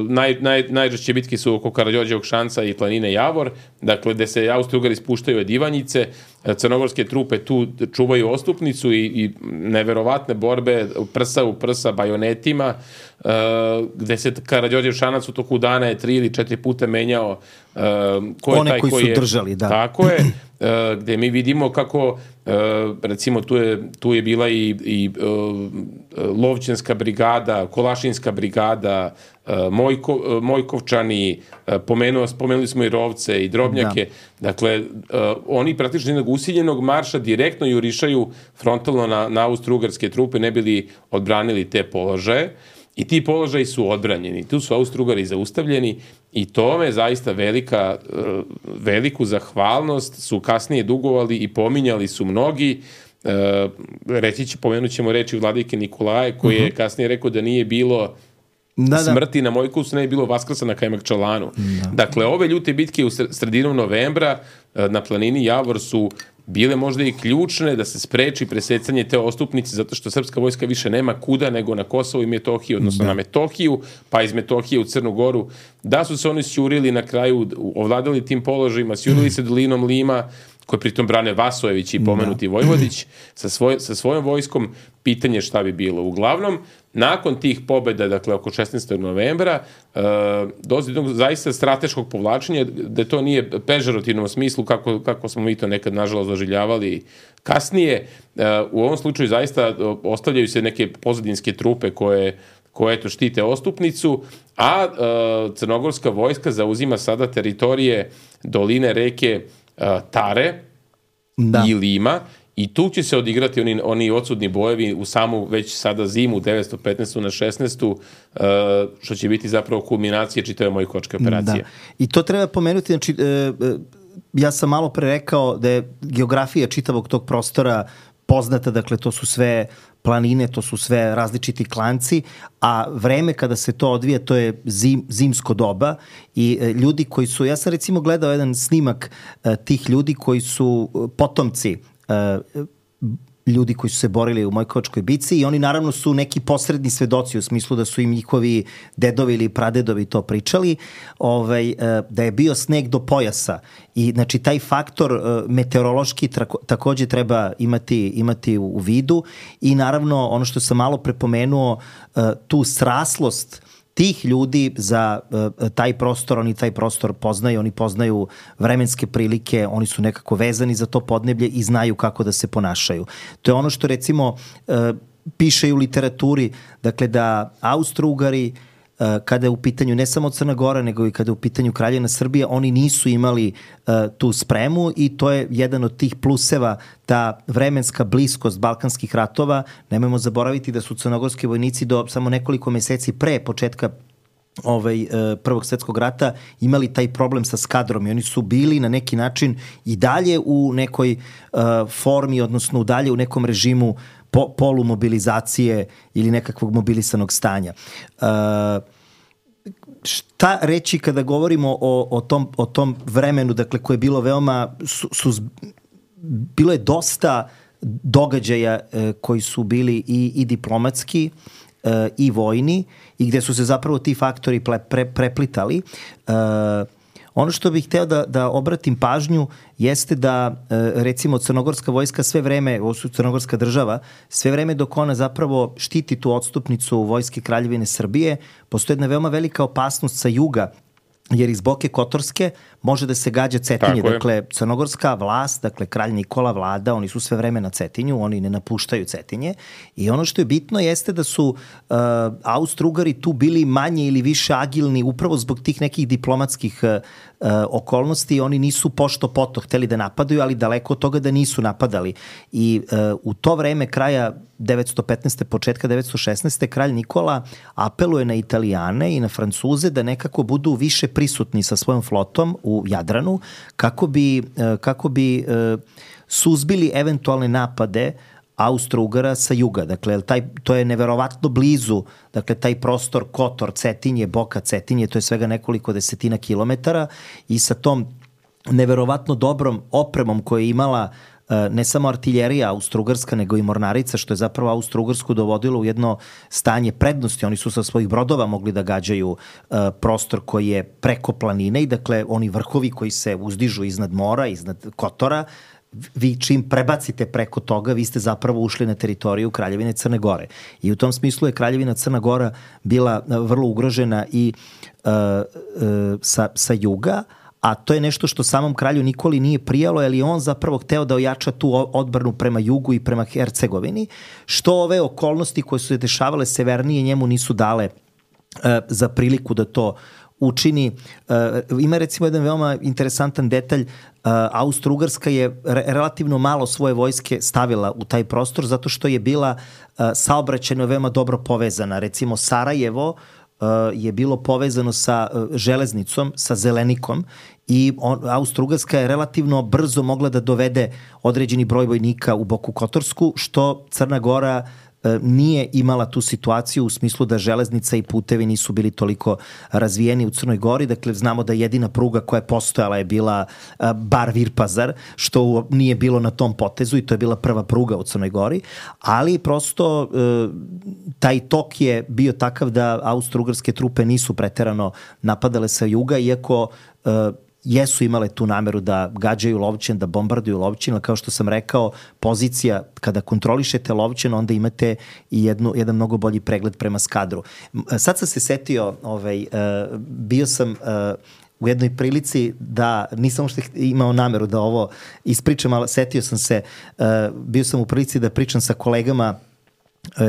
naj, naj, najžešće bitke su oko Karađorđevog Šanca i planine Javor, dakle gde se Austro-Ugari spuštaju od Ivanjice, crnogorske trupe tu čuvaju ostupnicu i, i neverovatne borbe prsa u prsa bajonetima, uh, gde se Karađorđev Šanac u toku dana je tri ili četiri puta menjao ko je one taj koji, koji su je, držali, da. Tako je, gde mi vidimo kako recimo tu je, tu je bila i, i Lovćenska brigada, Kolašinska brigada, Mojko, Mojkovčani, pomenuo, spomenuli smo i Rovce i Drobnjake, da. Dakle, oni praktično jednog usiljenog marša direktno jurišaju frontalno na, na austro-ugarske trupe, ne bili odbranili te položaje. I ti položaji su odbranjeni, tu su Austro-Ugari zaustavljeni i tome zaista velika, veliku zahvalnost su kasnije dugovali i pominjali su mnogi. Reći će, pomenut ćemo reči vladike Nikolaje koji je kasnije rekao da nije bilo da, da. smrti na Mojkovcu, ne je bilo Vaskrsa na Kajmakčalanu. Da. Dakle, ove ljute bitke u sredinom novembra na planini Javor su bile možda i ključne da se spreči presecanje te ostupnice, zato što srpska vojska više nema kuda nego na Kosovo i Metohiju, odnosno da. na Metohiju, pa iz Metohije u Crnu Goru. Da su se oni sjurili na kraju, ovladali tim položajima, sjurili se dolinom Lima, koje pritom brane Vasojević i pomenuti da. Vojvodić, sa, svoj, sa svojom vojskom, pitanje šta bi bilo. Uglavnom, nakon tih pobjeda, dakle oko šesnaestog novembra, uh, dođe do zaista strateškog povlačenja, da to nije pežorativnom smislu kako, kako smo mi to nekad nažalost doživljavali kasnije. Uh, u ovom slučaju zaista uh, ostavljaju se neke pozadinske trupe koje koje to štite ostupnicu, a uh, crnogorska vojska zauzima sada teritorije doline reke uh, Tare da. i Lima, i tu će se odigrati oni, oni odsudni bojevi u samu već sada zimu devetsto petnaestu na šesnaestu uh, što će biti zapravo kulminacija čitave Mojkovačke operacije. Da. I to treba pomenuti, znači, uh, ja sam malo pre rekao da je geografija čitavog tog prostora poznata, dakle to su sve planine, to su sve različiti klanci, a vreme kada se to odvija, to je zim, zimsko doba i e, ljudi koji su, ja sam recimo gledao jedan snimak e, tih ljudi koji su potomci e, ljudi koji su se borili u Mojkovačkoj bici i oni naravno su neki posredni svedoci u smislu da su im njihovi dedovi ili pradedovi to pričali, ovaj, da je bio sneg do pojasa i znači taj faktor meteorološki takođe treba imati, imati u vidu i naravno ono što sam malo prepomenuo, tu sraslost tih ljudi za uh, taj prostor, oni taj prostor poznaju, oni poznaju vremenske prilike, oni su nekako vezani za to podneblje i znaju kako da se ponašaju. To je ono što recimo uh, piše i u literaturi, dakle da Austro-Ugari uh, kada je u pitanju ne samo Crna Gora, nego i kada je u pitanju Kraljevina Srbija, oni nisu imali uh, tu spremu i to je jedan od tih pluseva, ta vremenska bliskost balkanskih ratova. Nemojmo zaboraviti da su crnogorski vojnici do samo nekoliko meseci pre početka ovaj, Prvog svjetskog rata imali taj problem sa skadrom i oni su bili na neki način i dalje u nekoj uh, formi, odnosno u dalje u nekom režimu po, polumobilizacije ili nekakvog mobilisanog stanja. Uh, šta reći kada govorimo o, o, tom, o tom vremenu, dakle, koje je bilo veoma su, su, bilo je dosta događaja e, koji su bili i, i diplomatski e, i vojni i gde su se zapravo ti faktori pre, pre, preplitali. E, ono što bih hteo da, da obratim pažnju jeste da e, recimo crnogorska vojska sve vreme, ovo su crnogorska država, sve vreme dok ona zapravo štiti tu odstupnicu vojske Kraljevine Srbije, postoji jedna veoma velika opasnost sa juga, jer iz Boke Kotorske može da se gađa Cetinje. Dakle, crnogorska vlast, dakle, kralj Nikola, vlada, oni su sve vreme na Cetinju, oni ne napuštaju Cetinje. I ono što je bitno jeste da su uh, Austro-Ugari tu bili manje ili više agilni upravo zbog tih nekih diplomatskih uh, okolnosti. Oni nisu pošto poto hteli da napadaju, ali daleko od toga da nisu napadali. I uh, u to vreme kraja devetsto petnaeste. početka devetsto šesnaeste. kralj Nikola apeluje na Italijane i na Francuze da nekako budu više prisutni sa svojom flotom u Jadranu kako bi, kako bi suzbili eventualne napade Austro-Ugara sa juga. Dakle, taj, to je neverovatno blizu, dakle, taj prostor Kotor, Cetinje, Boka Cetinje, to je svega nekoliko desetina kilometara i sa tom neverovatno dobrom opremom koju je imala ne samo artiljerija Austro-Ugarska, nego i mornarica, što je zapravo Austro-Ugarsku dovodilo u jedno stanje prednosti. Oni su sa svojih brodova mogli da gađaju uh, prostor koji je preko planine i dakle oni vrhovi koji se uzdižu iznad mora, iznad Kotora, vi čim prebacite preko toga, vi ste zapravo ušli na teritoriju Kraljevine Crne Gore. I u tom smislu je Kraljevina Crna Gora bila vrlo ugrožena i uh, uh, sa, sa juga, a to je nešto što samom kralju Nikoli nije prijalo, jer je on zapravo hteo da ojača tu odbranu prema jugu i prema Hercegovini, što ove okolnosti koje su se dešavale severnije njemu nisu dale uh, za priliku da to učini. Uh, ima recimo jedan veoma interesantan detalj. uh, Austro-Ugarska je re- relativno malo svoje vojske stavila u taj prostor zato što je bila uh, saobraćajno veoma dobro povezana. Recimo Sarajevo uh, je bilo povezano sa uh, železnicom, sa Zelenikom i on, Austro-Ugarska je relativno brzo mogla da dovede određeni broj vojnika u Boku Kotorsku, što Crna Gora nije imala tu situaciju u smislu da železnica i putevi nisu bili toliko razvijeni u Crnoj Gori. Dakle, znamo da jedina pruga koja je postojala je bila Bar-Virpazar, što nije bilo na tom potezu i to je bila prva pruga u Crnoj Gori, ali prosto taj tok je bio takav da austro-ugarske trupe nisu preterano napadale sa juga, iako jesu imale tu nameru da gađaju Lovćen, da bombarduju Lovćen, ali kao što sam rekao, pozicija, kada kontrolišete Lovćen, onda imate i jednu, jedan mnogo bolji pregled prema Skadru. Sad sam se setio, ovaj, uh, bio sam uh, u jednoj prilici da, nisam uopšte imao nameru da ovo ispričam, ali setio sam se, uh, bio sam u prilici da pričam sa kolegama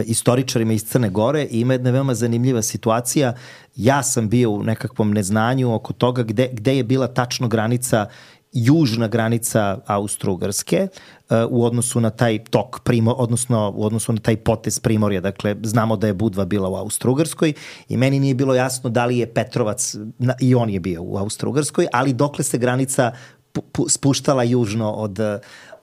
istoričarima iz Crne Gore i ima jedna veoma zanimljiva situacija. Ja sam bio u nekakvom neznanju oko toga gde, gde je bila tačno granica, južna granica Austro-Ugarske uh, u odnosu na taj tok, primo, odnosno u odnosu na taj potez Primorja. Dakle, znamo da je Budva bila u Austro-Ugarskoj i meni nije bilo jasno da li je Petrovac, na, i on je bio u Austro-Ugarskoj, ali dokle se granica pu, pu, spuštala južno od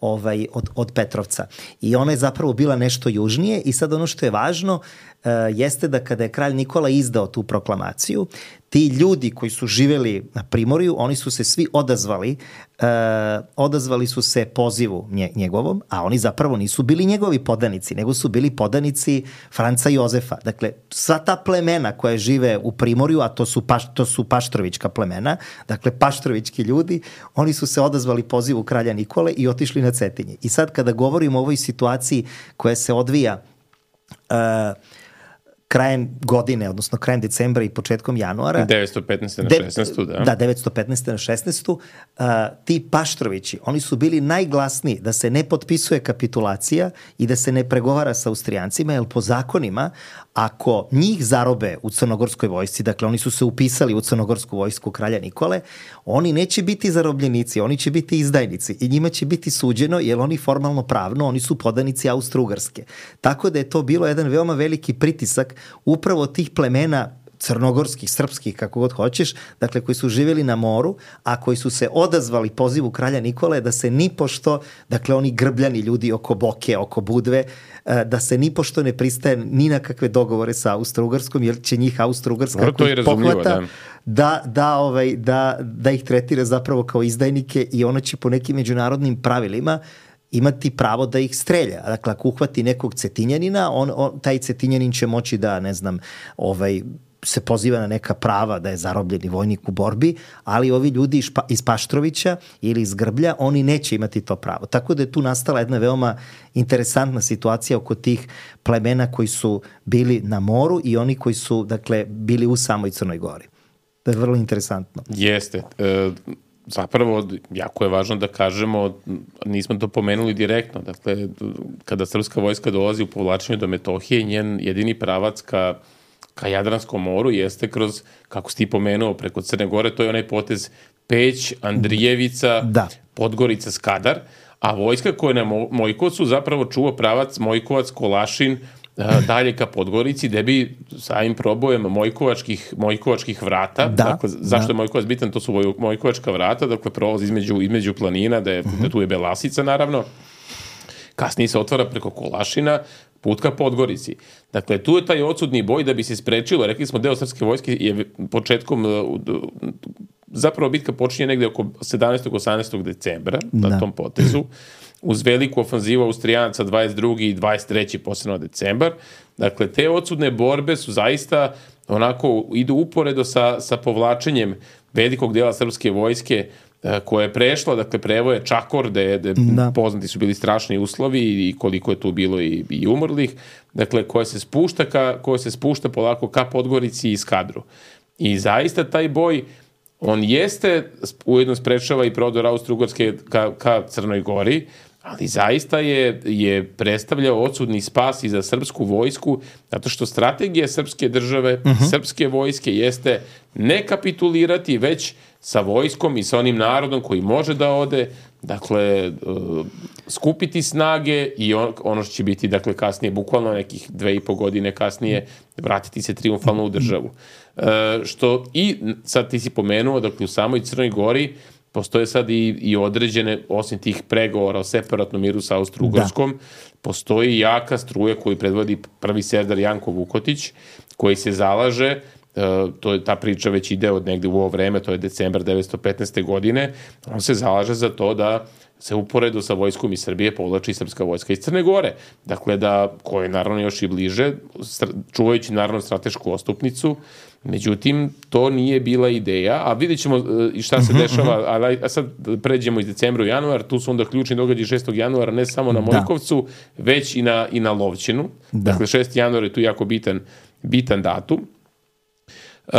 Ovaj, od, od Petrovca. I ona je zapravo bila nešto južnije i sad ono što je važno uh, jeste da kada je kralj Nikola izdao tu proklamaciju, ti ljudi koji su živeli na Primorju, oni su se svi odazvali, uh, odazvali su se pozivu nje, njegovom, a oni zapravo nisu bili njegovi podanici, nego su bili podanici Franca Jozefa. Dakle, sva ta plemena koja žive u Primorju, a to su, paš, to su paštrovićka plemena, dakle paštrovićki ljudi, oni su se odazvali pozivu kralja Nikole i otišli na Cetinje. I sad kada govorimo o ovoj situaciji koja se odvija uh, krajem godine, odnosno krajem decembra i početkom januara. devetsto petnaeste na šesnaestu, da. Da, devetsto petnaeste na šesnaestu. Uh, ti Paštrovići, oni su bili najglasniji da se ne potpisuje kapitulacija i da se ne pregovara sa Austrijancima, jer po zakonima, ako njih zarobe u crnogorskoj vojsci, dakle oni su se upisali u crnogorsku vojsku kralja Nikole, oni neće biti zarobljenici, oni će biti izdajnici i njima će biti suđeno, jer oni formalno pravno, oni su podanici Austro-Ugarske. Tako da je to bilo jedan veoma veliki pritisak upravo tih plemena crnogorskih, srpskih, kako god hoćeš, dakle koji su živjeli na moru, a koji su se odazvali pozivu kralja Nikole da se nipošto, dakle oni grbljani ljudi oko Boke, oko Budve, da se nipošto ne pristaje ni na kakve dogovore sa Austro-Ugarskom, jer će njih Austro-Ugarska no, pohvata da. Da, da, ovaj, da, da ih tretira zapravo kao izdajnike i ona će po nekim međunarodnim pravilima imati pravo da ih strelja. Dakle, ako uhvati nekog Cetinjanina, on, on, taj Cetinjanin će moći da, ne znam, ovaj, se poziva na neka prava da je zarobljeni vojnik u borbi, ali ovi ljudi iz, pa, iz Paštrovića ili iz Grblja, oni neće imati to pravo. Tako da je tu nastala jedna veoma interesantna situacija oko tih plemena koji su bili na moru i oni koji su, dakle, bili u samoj Crnoj Gori. To je vrlo interesantno. Jeste. E, zapravo, jako je važno da kažemo, nismo to pomenuli direktno, dakle, kada srpska vojska dolazi u povlačenju do Metohije, njen jedini pravac ka ka Jadranskom moru jeste kroz, kako si ti pomenuo, preko Crne Gore, to je onaj potez Peć, Andrijevica, da. Podgorica, Skadar, a vojska koja je na Mojkovcu zapravo čuva pravac Mojkovac, Kolašin, dalje ka Podgorici, gde bi samim probojem Mojkovačkih, Mojkovačkih vrata, da, dakle, zašto da. je Mojkovac bitan, to su Mojkovačka vrata, dakle prolaz između, između planina, da, je, uh-huh. da tu je Belasica naravno, kasnije se otvara preko Kolašina, put ka Podgorici. Dakle, tu je taj odsudni boj da bi se sprečilo, rekli smo deo srpske vojske je početkom, zapravo bitka počinje negde oko sedamnaestog osamnaestog decembra da. na tom potezu, uz veliku ofanzivu Austrijanaca dvadeset drugog i dvadeset trećeg posebno decembar. Dakle, te odsudne borbe su zaista onako, idu uporedo sa, sa povlačenjem velikog dela srpske vojske koja je prešla, dakle prevoje Čakor, gde, gde poznati su bili strašni uslovi i koliko je tu bilo i, i umrlih, dakle koja se spušta ka, koja se spušta polako ka Podgorici i Skadru. I zaista taj boj on jeste ujedno sprečava i prodor Austro-Ugarske ka, ka Crnoj Gori, ali zaista je, je predstavljao odsudni spas i za srpsku vojsku, zato što strategija srpske države, uh-huh. srpske vojske jeste ne kapitulirati, već sa vojskom i sa onim narodom koji može da ode, dakle, uh, skupiti snage i on, ono što će biti, dakle, kasnije, bukvalno nekih dve i po godine kasnije, vratiti se triumfalno u državu. Uh, što i, sad ti si pomenuo, dakle, u samoj Crnoj Gori postoje sad i, i određene, osim tih pregovora o separatnom miru sa Austro-Ugarskom, da. Postoji jaka struja koju predvodi prvi serdar Janko Vukotić, koji se zalaže, uh, to je ta priča već ide od negde u ovo vreme, to je decembar devetsto petnaeste. godine, on se zalaže za to da se uporedo sa vojskom iz Srbije povlači srpska vojska iz Crne Gore. Dakle, da, koje je naravno još i bliže, čuvajući naravno stratešku ostupnicu, međutim, to nije bila ideja, a vidjet ćemo i šta se dešava, a, a sad pređemo iz decembra u januar, tu su onda ključni događaji šestog januara, ne samo na Mojkovcu, da. već i na, i na Lovćinu. Da. Dakle, šesti januar je tu jako bitan, bitan datum. Uh,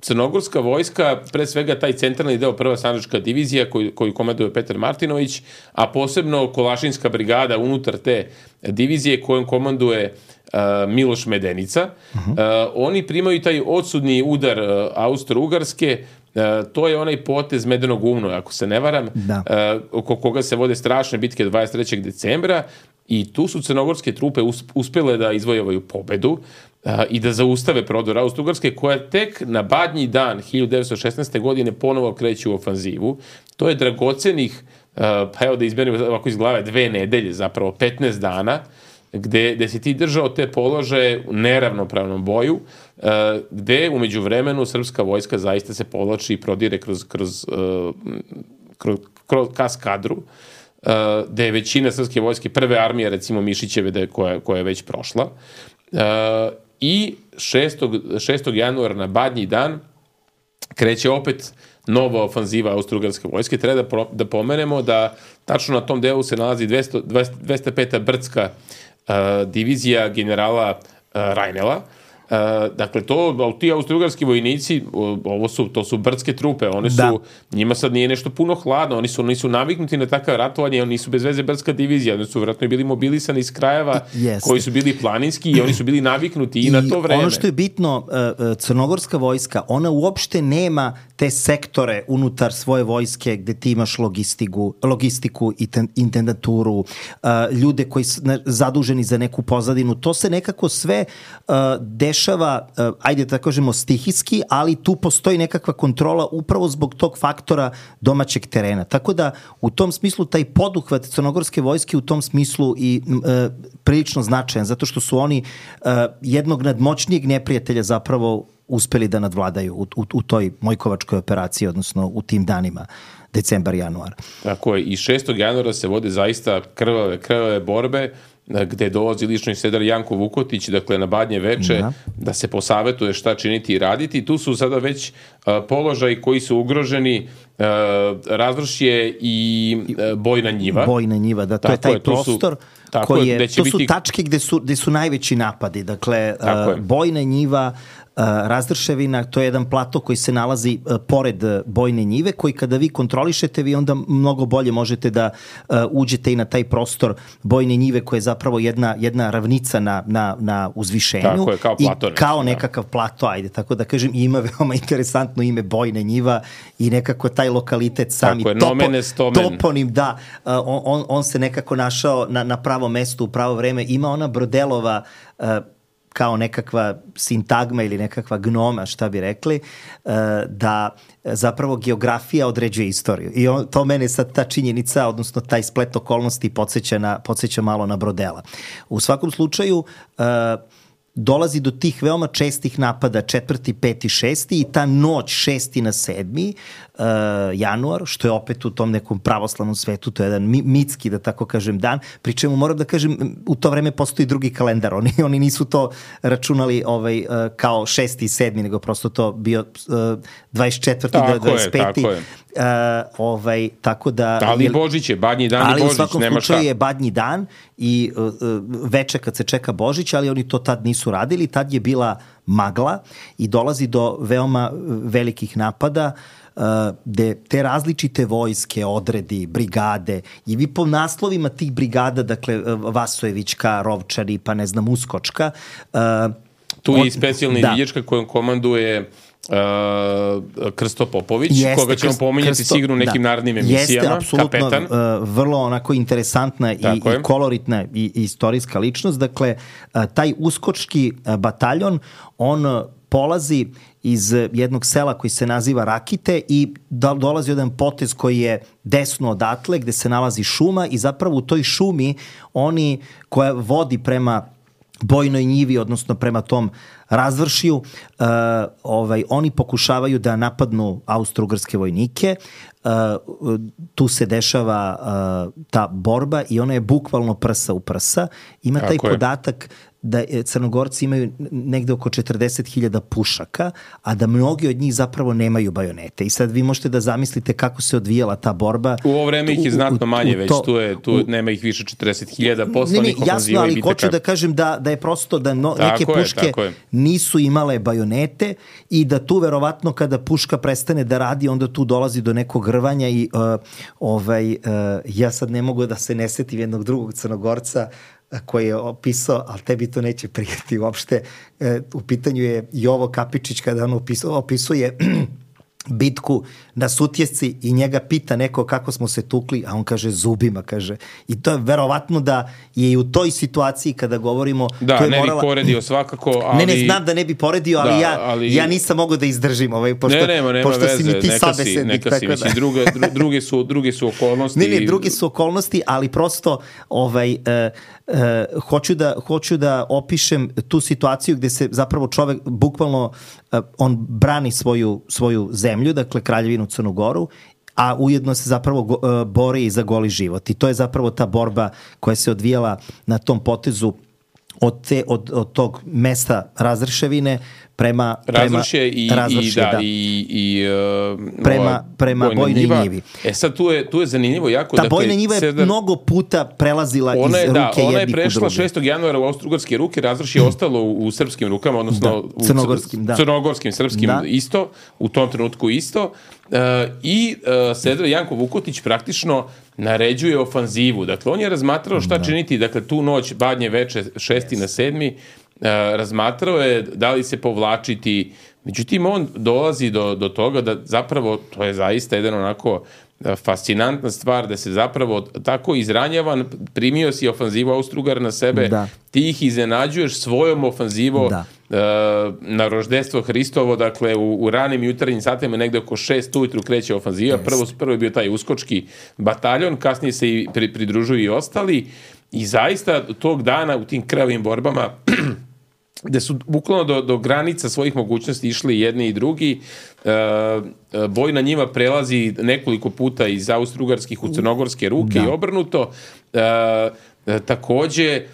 Crnogorska vojska, pre svega taj centralni deo prva sandžačka divizija koju, koju komanduje Petar Martinović, a posebno Kolašinska brigada unutar te divizije kojom komanduje uh, Miloš Medenica. Uh-huh. Uh, oni primaju taj odsudni udar uh, Austro-Ugarske, uh, to je onaj potez Medenog umno, ako se ne varam, da. uh, oko koga se vode strašne bitke dvadeset trećeg decembra i tu su crnogorske trupe uspele da izvojevaju pobedu a, i da zaustave prodor Austro-Ugarske, koja tek na badnji dan hiljadu devetsto šesnaeste. godine ponovo kreće u ofanzivu. To je dragocenih, a, pa evo da izberim ovako iz glave, dve nedelje, zapravo petnaest dana, gde, gde si ti držao te položaje u neravnopravnom boju, a, gde umeđu vremenu srpska vojska zaista se povlači i prodire kroz, kroz, a, kroz, kroz kaskadru, Uh, da je većina srpske vojske, prve armije, recimo Mišićeve, da je, koja, koja je već prošla. Uh, I šestog januara na badnji dan kreće opet nova ofanziva Austro-Ugarske vojske. Treba da, pro, da pomenemo da tačno na tom delu se nalazi dvesta, dvesta peta brdska uh, divizija generala uh, Rajnela. Uh, dakle, to, ti austro-ugarski vojnici, ovo su, to su brdske trupe, one su, da. Njima sad nije nešto puno hladno, oni su, oni su naviknuti na takav ratovanje, oni su bez veze brdska divizija, oni su vjerojatno bili mobilisani iz krajeva yes. koji su bili planinski i oni su bili naviknuti i, i na to vreme. Ono što je bitno, crnogorska vojska, ona uopšte nema te sektore unutar svoje vojske gde ti imaš logistiku, logistiku i intendaturu, ljude koji su zaduženi za neku pozadinu, to se nekako sve dešava, ajde da kažemo stihijski, ali tu postoji nekakva kontrola upravo zbog tog faktora domaćeg terena. Tako da u tom smislu taj poduhvat crnogorske vojske u tom smislu i e, prilično značajan, zato što su oni e, jednog nadmoćnijeg neprijatelja zapravo uspeli da nadvladaju u, u, u toj Mojkovačkoj operaciji, odnosno u tim danima decembar, januar. Tako je, i šestog januara se vode zaista krvave, krvave borbe, gde dolazi lično serdar Janko Vukotić, dakle na badnje veče, da, da se posavetuje šta činiti i raditi. Tu su sada već uh, položaji koji su ugroženi, uh, razvršje i uh, Bojna njiva. Bojna njiva, da, to tako je taj je, prostor su, koji je, to su biti... tačke gde su, gde su najveći napadi. Dakle, uh, Bojna njiva, Uh, Razdrševina, to je jedan plato koji se nalazi uh, pored uh, Bojne njive, koji kada vi kontrolišete, vi onda mnogo bolje možete da uh, uđete i na taj prostor Bojne njive, koja je zapravo jedna, jedna ravnica na, na, na uzvišenju. Tako je, kao plato. I kao nekakav plato, ajde, tako da kažem, ima veoma interesantno ime Bojne njiva i nekako taj lokalitet sami je, topo, toponim, da, uh, on, on se nekako našao na, na pravo mesto u pravo vreme. Ima ona Brodelova uh, kao nekakva sintagma ili nekakva gnoma, šta bi rekli, da zapravo geografija određuje istoriju. I on, to mene sad ta činjenica, odnosno taj splet okolnosti podsjeća, na, podsjeća malo na Brodela. U svakom slučaju, dolazi do tih veoma čestih napada četvrti, peti, šesti i ta noć šesti na sedmi uh, januar, što je opet u tom nekom pravoslavnom svetu, to je jedan mitski, da tako kažem, dan, pri čemu moram da kažem, u to vreme postoji drugi kalendar, oni, oni nisu to računali ovaj, uh, kao šesti i sedmi, nego prosto to bio uh, dvadeset četvrti do dvadeset peti. Tako je, tako je. Uh, ovaj, tako da... Ali Božić je, badnji dan i Božić, nema šta. Ali u svakom slučaju je badnji dan i uh, uh, veče kad se čeka Božić, ali oni to tad nisu nisu radili, tad je bila magla i dolazi do veoma velikih napada gde te različite vojske, odredi, brigade i vi po naslovima tih brigada, dakle Vasojevićka, Rovčari, pa ne znam, Uskočka. Tu je i specijalna izviđačka kojom komanduje Uh, Krsto Popović, jeste, koga ćemo pominjati Krsto, sigurno u nekim da, narednim emisijama. Jeste, apsolutno, uh, vrlo onako interesantna i, i koloritna i, i istorijska ličnost. Dakle, uh, taj uskočki uh, bataljon, on uh, polazi iz jednog sela koji se naziva Rakite i do, dolazi jedan potez koji je desno odatle gde se nalazi šuma i zapravo u toj šumi oni koja vodi prema Bojnoj njivi, odnosno prema tom razvršiju, uh, ovaj, oni pokušavaju da napadnu austro-ugarske vojnike. Uh, tu se dešava uh, ta borba i ona je bukvalno prsa u prsa. Ima taj Tako podatak je. da Crnogorci imaju negde oko četrdeset hiljada pušaka, a da mnogi od njih zapravo nemaju bajonete. I sad vi možete da zamislite kako se odvijala ta borba. U ovo vreme ih je znatno manje, u, u već to, tu, je, tu u, nema ih više četrdeset hiljada poslanih ofenziva. Jasno, ali hoću da kažem da, da je prosto da no, neke je, puške nisu imale bajonete i da tu verovatno kada puška prestane da radi, onda tu dolazi do nekog rvanja i uh, ovaj, uh, ja sad ne mogu da se ne setim jednog drugog Crnogorca koji je opisao, ali tebi to neće prijeti uopšte. E, u pitanju je Jovo Kapičić kada on opisuje, opisuje bitku na Sutjesci i njega pita neko kako smo se tukli, a on kaže zubima, kaže. I to je verovatno da je i u toj situaciji kada govorimo... Da, to je ne morala... bi poredio svakako, ali... Ne, ne, znam da ne bi poredio, ali, da, ja, ali... ja nisam mogao da izdržim, ovaj, pošto, ne, nema, nema pošto veze, si mi ti neka sabesednik. Si, neka si, mislim, druge, druge, su, druge su okolnosti. Ne, ne, druge su okolnosti, ali prosto ovaj, uh, uh, hoću, da, hoću da opišem tu situaciju gde se zapravo čovek bukvalno uh, on brani svoju, svoju zemlju, dakle Kraljevinu Crnu Goru, a ujedno se zapravo go, uh, bori i za goli život. I to je zapravo ta borba koja se odvijala na tom potezu od, te, od, od tog mesta Razrševine prema Razršje i, razvršje, i, da, da. i, i uh, prema, prema Bojnoj njiva. njivi. E sad tu je, tu je zanimljivo jako. Ta dakle, Bojna njiva je sedar... mnogo puta prelazila ona je, iz da, ruke jednih u druge. Ona je prešla šestog januara u austro-ugarske ruke, Razršje je ostalo u, u srpskim rukama, odnosno da, u crnogorskim, da. crnogorskim, srpskim da. isto, u tom trenutku isto. Uh, I uh, Sedra Janko Vukotić praktično naređuje ofanzivu. Dakle, on je razmatrao šta da. činiti, dakle, tu noć, badnje veče, šesti yes. na sedmi, Uh, razmatrao je da li se povlačiti, međutim on dolazi do, do toga da zapravo to je zaista jedan onako fascinantna stvar da se zapravo tako izranjavan, primio si ofanzivu Austro-Ugara na sebe, da. ti ih iznenađuješ svojom ofanzivom da. uh, na roždestvo Hristovo, dakle u, u ranim jutarnjim satima negde oko šest ujutru kreće ofanziva, yes. prvo, prvo je bio taj uskočki bataljon, kasnije se i pri, pridružuju i ostali i zaista tog dana u tim krvavim borbama gde su bukvalno do, do granica svojih mogućnosti išli jedni i drugi. E, Bojna njiva prelazi nekoliko puta iz austro-ugarskih u crnogorske ruke da. i obrnuto. E, e, takođe, e,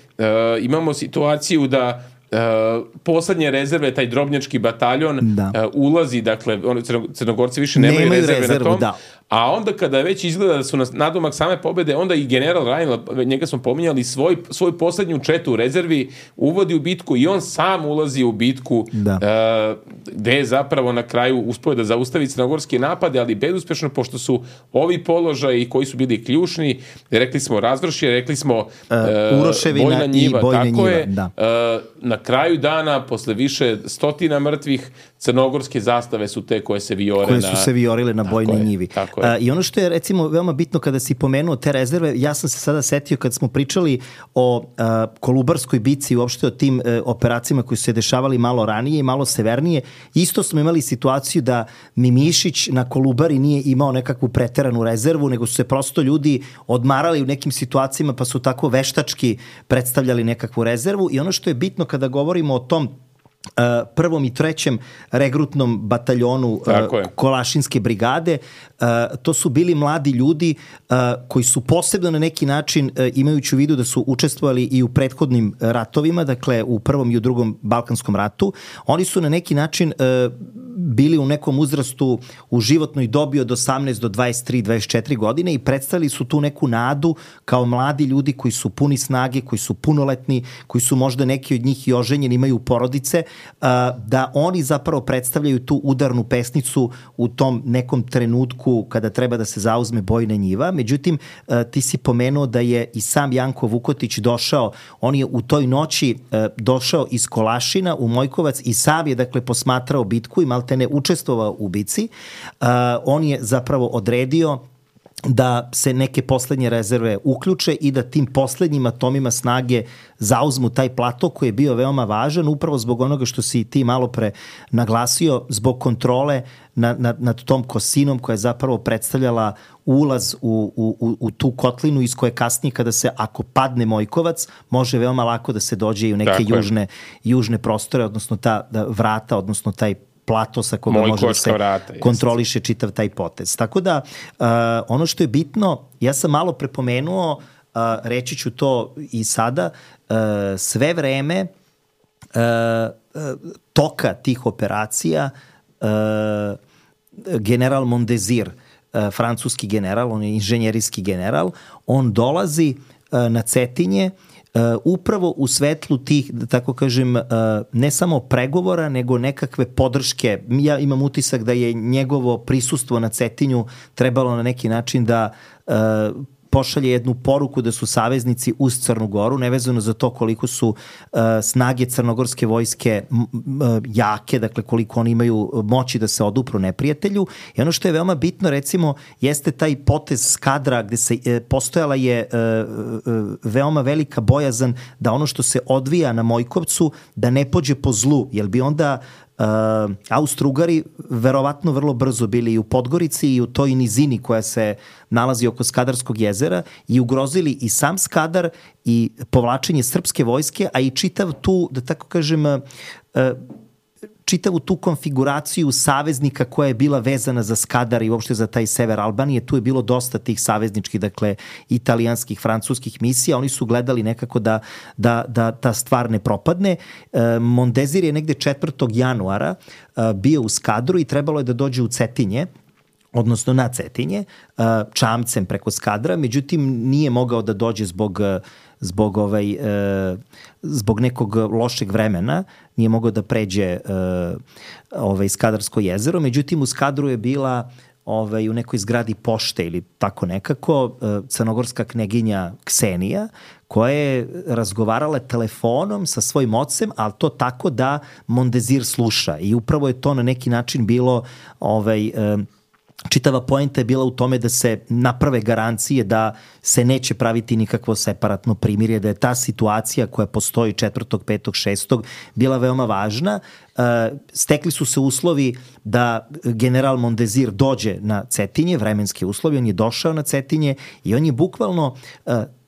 imamo situaciju da Uh, poslednje rezerve, taj drobnjački bataljon da. uh, ulazi, dakle oni Crnogorci više nemaju, nemaju rezerve rezervu, na tom, da. a onda kada već izgleda da su na nadomak same pobede, onda i general Rajnl, njega smo pominjali, svoj, svoj poslednju četu u rezervi uvodi u bitku i on sam ulazi u bitku da. uh, gde je zapravo na kraju uspeo da zaustavi crnogorske napade, ali bezuspešno, pošto su ovi položaji koji su bili ključni, rekli smo Razvršje, rekli smo uh, Uroševina Bojna njiva, i Bojna tako njiva, je, da. Uh, na kraju dana, posle više stotina mrtvih, crnogorske zastave su te koje se vijore koje na... su se vijorile na Bojnoj je, njivi. Tako je. Uh, I ono što je recimo veoma bitno kada si pomenuo te rezerve, ja sam se sada setio kad smo pričali o uh, Kolubarskoj bici i uopšte o tim uh, operacijama koji su se dešavali malo ranije i malo severnije, isto smo imali situaciju da Mimišić na Kolubari nije imao nekakvu preteranu rezervu, nego su se prosto ljudi odmarali u nekim situacijama pa su tako veštački predstavljali nekakvu rezervu i ono što je bitno kada govorimo o tom Uh, prvom i trećem regrutnom bataljonu uh, Kolašinske brigade, uh, to su bili mladi ljudi uh, koji su posebno na neki način, uh, imajući u vidu da su učestvovali i u prethodnim ratovima, dakle u prvom i u drugom Balkanskom ratu, oni su na neki način uh, bili u nekom uzrastu u životnoj dobi od osamnaest do dvadeset tri dvadeset četiri godine i predstavili su tu neku nadu kao mladi ljudi koji su puni snage, koji su punoletni, koji su možda neki od njih i oženjeni, imaju porodice, da oni zapravo predstavljaju tu udarnu pesnicu u tom nekom trenutku kada treba da se zauzme bojna njiva. Međutim, ti si pomenuo da je i sam Janko Vukotić došao, on je u toj noći došao iz Kolašina u Mojkovac i sam je dakle posmatrao bitku i maltene učestvovao u bici. On je zapravo odredio da se neke poslednje rezerve uključe i da tim poslednjim atomima snage zauzmu taj plato koji je bio veoma važan upravo zbog onoga što si ti malo pre naglasio, zbog kontrole nad, nad, nad tom kosinom koja je zapravo predstavljala ulaz u, u, u tu kotlinu iz koje kasnije kada se, ako padne Mojkovac, može veoma lako da se dođe i u neke južne, južne prostore, odnosno ta da, vrata, odnosno taj plato sa koga može da se vrata, kontroliše jest. Čitav taj potez. Tako da, uh, ono što je bitno, ja sam malo prepomenuo, uh, reći ću to i sada, uh, sve vreme uh, uh, toka tih operacija uh, general Mondezir, uh, francuski general, on je inženjerijski general, on dolazi uh, na Cetinje Uh, upravo u svetlu tih, da tako kažem, uh, ne samo pregovora, nego nekakve podrške. Ja imam utisak da je njegovo prisustvo na Cetinju trebalo na neki način da uh, pošalje jednu poruku da su saveznici uz Crnu Goru, nevezano za to koliko su uh, snage crnogorske vojske m, m, jake, dakle koliko oni imaju moći da se odupru neprijatelju. I ono što je veoma bitno, recimo, jeste taj potez Skadra gde se e, postojala je e, e, veoma velika bojazan da ono što se odvija na Mojkovcu da ne pođe po zlu, jer bi onda Uh, Austro-Ugari verovatno vrlo brzo bili i u Podgorici i u toj nizini koja se nalazi oko Skadarskog jezera i ugrozili i sam Skadar i povlačenje srpske vojske, a i čitav tu, da tako kažem, uh, čitavu tu konfiguraciju saveznika koja je bila vezana za Skadar i uopšte za taj sever Albanije. Tu je bilo dosta tih savezničkih, dakle, italijanskih, francuskih misija. Oni su gledali nekako da, da, da ta stvar ne propadne. E, Mondezir je negde četvrtog januara e, bio u Skadru i trebalo je da dođe u Cetinje, odnosno na Cetinje, e, čamcem preko Skadra, međutim nije mogao da dođe zbog zbog ovaj e, zbog nekog lošeg vremena, nije mogao da pređe e, ovaj Skadarsko jezero, međutim u Skadru je bila ovaj u nekoj zgradi pošte ili tako nekako e, crnogorska kneginja Ksenija koja je razgovarala telefonom sa svojim ocem, ali to tako da Mondezir sluša i upravo je to na neki način bilo ovaj e, čitava poenta je bila u tome da se naprave garancije da se neće praviti nikakvo separatno primirje, da je ta situacija koja postoji četvrtog, petog, šestog bila veoma važna. Stekli su se uslovi da general Mondezir dođe na Cetinje, vremenski uslovi, on je došao na Cetinje i on je bukvalno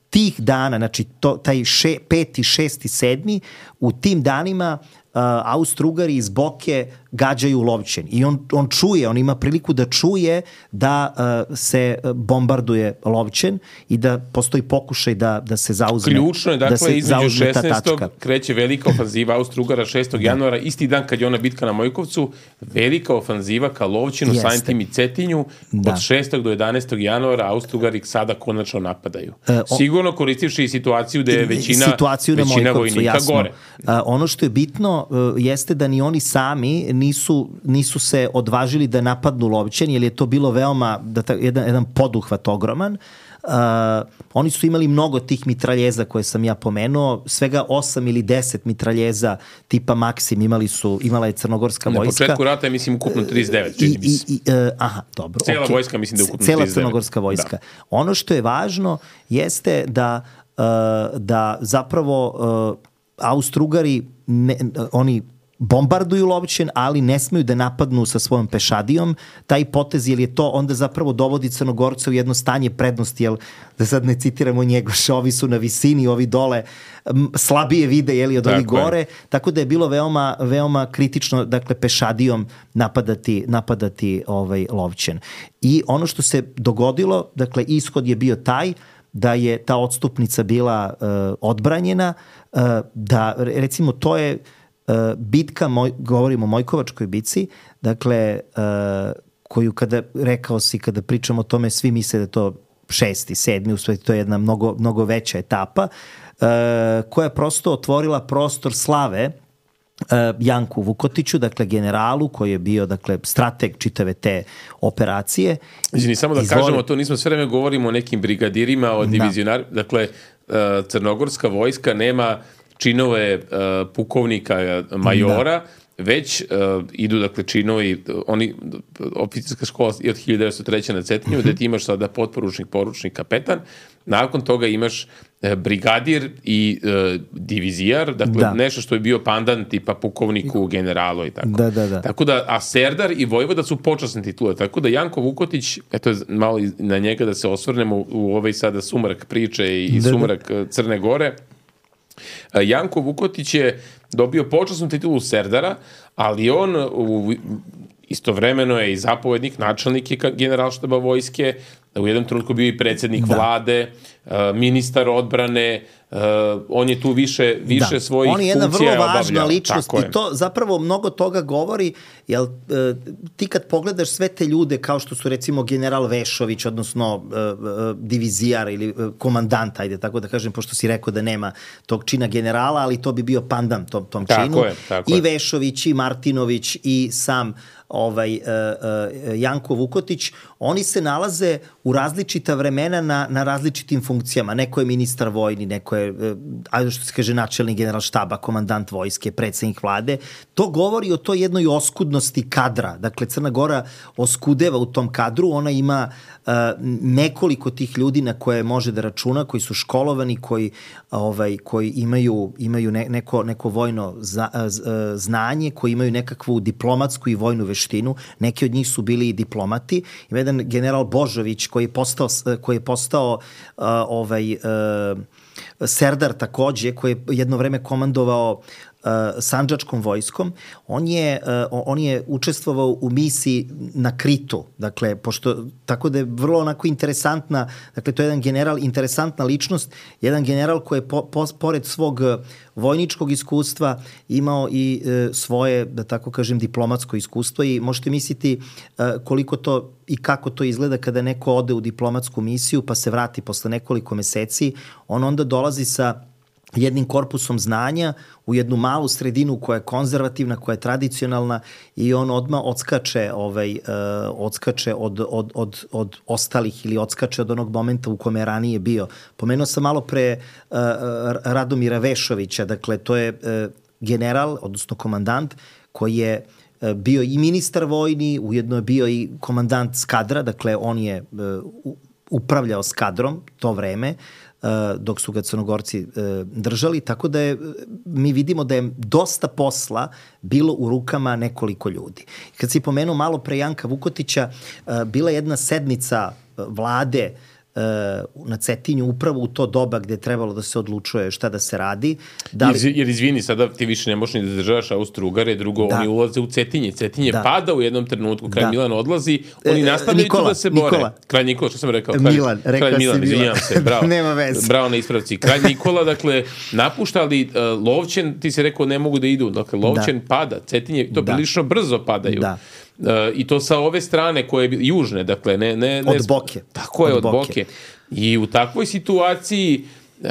tih dana, znači to, taj še, peti, šesti, sedmi, u tim danima Uh, Austro-Ugari iz Boke gađaju Lovćen i on, on čuje, on ima priliku da čuje da uh, se bombarduje Lovćen i da postoji pokušaj da, da se zauzme. Ključno je, dakle, da između šesnaestog kreće velika ofanziva Austro-Ugara šestog januara, isti dan kad je ona bitka na Mojkovcu, velika ofanziva ka Lovćenu, samim tim i Cetinju, da. Od šestog do jedanaestog januara Austro-Ugari sada konačno napadaju. Uh, on, Sigurno koristivši situaciju da je većina, većina vojnika jasno. Gore. Uh, ono što je bitno jeste da ni oni sami nisu, nisu se odvažili da napadnu Lovćen, jer je to bilo veoma, da ta, jedan, jedan poduhvat ogroman. Uh, oni su imali mnogo tih mitraljeza koje sam ja pomenuo, svega osam ili deset mitraljeza tipa Maksim imali su, imala je crnogorska na vojska. Na početku rata je, mislim, ukupno trideset devet, čini mi se. I, i, uh, aha, dobro. Cela okay. vojska, mislim da je ukupno Cela trideset devet. crnogorska vojska. Da. Ono što je važno jeste da, uh, da zapravo uh, Austro-Ugari ne, oni bombarduju Lovćen, ali ne smeju da napadnu sa svojom pešadijom. Taj potez, jer je to onda zapravo dovodi Crnogorce u jedno stanje prednosti, jer da sad ne citiramo Njegoša, ovi su na visini, ovi dole slabije vide, jeli, od ovih gore, je. Tako da je bilo veoma, veoma kritično, dakle, pešadijom napadati, napadati ovaj Lovćen. I ono što se dogodilo, dakle, ishod je bio taj da je ta odstupnica bila uh, odbranjena, uh, da, recimo, to je uh, bitka, moj, govorimo o Mojkovačkoj bici, dakle, uh, koju kada, rekao si, kada pričamo o tome, svi misle da to šesti, sedmi, u stvari to je jedna mnogo, mnogo veća etapa, uh, koja je prosto otvorila prostor slave uh, Janku Vukotiću, dakle generalu koji je bio, dakle, strateg čitave te operacije. Izvini, samo da Izvoli... kažemo, to nismo sve vreme govorimo o nekim brigadirima, o divizionarima, da. Dakle, uh, crnogorska vojska nema činove uh, pukovnika, majora, da. Već uh, idu, dakle, činovi, oni, oficirska škola je od hiljadu devetsto treće na Cetinju, gde ti imaš sada potporučnik, poručnik, kapetan, nakon toga imaš uh, brigadir i uh, divizijar, dakle, da. Nešto što je bio pandan tipa pukovniku, generalu i tako. Da, da, da. Tako da, a Serdar i Vojvoda su počasne titule, tako da Janko Vukotić, eto, malo na njega da se osvrnemo u, u ovaj sada sumrak priče i da, sumrak da. Crne Gore. Janko Vukotić je dobio počasnu titulu Serdara, ali on u, istovremeno je i zapovednik, načelnik je generalštaba vojske, u jednom trenutku bio i predsjednik da. Vlade, ministar odbrane, Uh, on je tu više, više da. svojih funkcija obavljao. On je jedna vrlo važna ličnost Tako i to zapravo mnogo toga govori, jer uh, ti kad pogledaš sve te ljude kao što su recimo general Vešović, odnosno uh, uh, divizijar ili uh, komandant, ajde tako da kažem, pošto si rekao da nema tog čina generala, ali to bi bio pandan tom, tom tako činu. Je, tako I je. Vešović, i Martinović, i sam ovaj, uh, uh, Janko Vukotić, oni se nalaze u različita vremena na, na različitim funkcijama. Neko je ministar vojni, neko je, uh, ajde što se kaže, načelnik general štaba, komandant vojske, predsjednik vlade. To govori o toj jednoj oskudnosti kadra. Dakle, Crna Gora oskudeva u tom kadru, ona ima uh, nekoliko tih ljudi na koje može da računa, koji su školovani, koji, ovaj, koji imaju, imaju ne, neko, neko vojno za, uh, znanje, koji imaju nekakvu diplomatsku i vojnu veštinu. Neki od njih su bili i diplomati. Ima jedan general Božović koji je postao, koji je postao uh, ovaj, uh, Serdar takođe, koji je jedno vreme komandovao uh, Sandžačkom vojskom. On je, uh, on je učestvovao u misiji na Kritu. Dakle, pošto, tako da je vrlo onako interesantna, dakle, to je jedan general, interesantna ličnost, jedan general koji je po, po, pored svog vojničkog iskustva imao i uh, svoje, da tako kažem, diplomatsko iskustvo i možete misliti uh, koliko to i kako to izgleda kada neko ode u diplomatsku misiju pa se vrati posle nekoliko meseci, on onda dolazi sa jednim korpusom znanja u jednu malu sredinu koja je konzervativna, koja je tradicionalna i on odmah odskače, ovaj, uh, odskače od, od, od, od ostalih ili odskače od onog momenta u kome je ranije bio. Pomenuo sam malo pre uh, Radomira Vešovića, dakle to je uh, general, odnosno komandant koji je bio i ministar vojni, ujedno je bio i komandant skadra, dakle on je uh, upravljao skadrom to vreme, uh, dok su ga Crnogorci uh, držali, tako da je, mi vidimo da je dosta posla bilo u rukama nekoliko ljudi. Kad si pomenuo malo pre Janka Vukotića, uh, bila je jedna sednica uh, vlade na Cetinju upravo u to doba gde je trebalo da se odlučuje šta da se radi. Da li... Jer, jer izvini, sada ti više ne možeš ni da državaš Austro-Ugare, drugo, da. Oni ulaze u Cetinje. Cetinje da. pada u jednom trenutku, kraj da. Milan odlazi, oni nastavljaju tu da se bore. Nikola. Kralj Nikola, što sam rekao? Kralj, Milan, rekao kralj Milan, izvinjam se, bravo. Nema veze. Bravo na ispravci. Kralj Nikola, dakle, napušta, ali uh, Lovćen, ti se rekao, ne mogu da idu. Dakle, Lovćen da. pada, Cetinje, to da. prilično brzo padaju. Da. Uh, I to sa ove strane koje je južne, dakle, ne... ne, ne od Boke. Tako je, od, od Boke. Boke. I u takvoj situaciji e,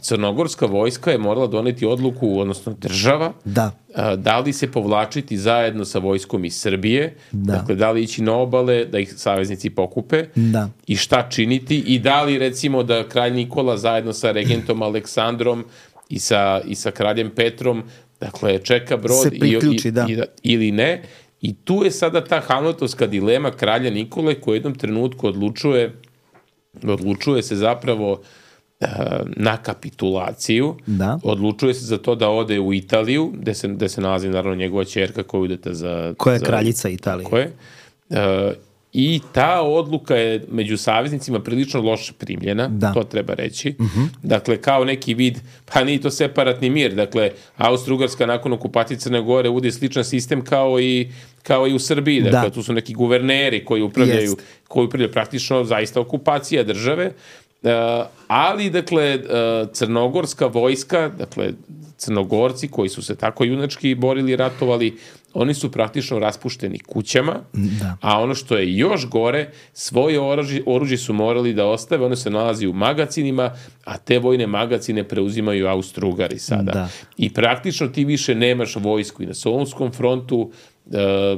crnogorska vojska je morala doneti odluku, odnosno država, da, e, da li se povlačiti zajedno sa vojskom iz Srbije, da. Dakle, da li ići na obale, da ih saveznici pokupe da. I šta činiti i da li, recimo, da kralj Nikola zajedno sa regentom Aleksandrom i sa, i sa kraljem Petrom, dakle, čeka brod i, i, da. i, ili ne. I tu je sada ta hamletovska dilema kralja Nikole koji u jednom trenutku odlučuje odlučuje se zapravo e, na kapitulaciju, da. Odlučuje se za to da ode u Italiju, gde se, gde se nalazi naravno njegova ćerka koja idete za... Koja je za, kraljica Italije. Koje. E, I ta odluka je među saveznicima prilično loše primljena, da. To treba reći. Uh-huh. Dakle, kao neki vid, pa nije to separatni mir, dakle, Austro-Ugarska nakon okupacije Crne Gore uvodi sličan sistem kao i kao i u Srbiji, dakle, da. Tu su neki guverneri koji upravljaju, Jest. koji upravljaju praktično zaista okupacija države, uh, ali, dakle, uh, crnogorska vojska, dakle, Crnogorci koji su se tako junački borili i ratovali, oni su praktično raspušteni kućama, da. A ono što je još gore, svoje oružje, oružje su morali da ostave, ono se nalazi u magacinima, a te vojne magacine preuzimaju Austro-Ugari sada. Da. I praktično ti više nemaš vojsku i na Solunskom frontu, e,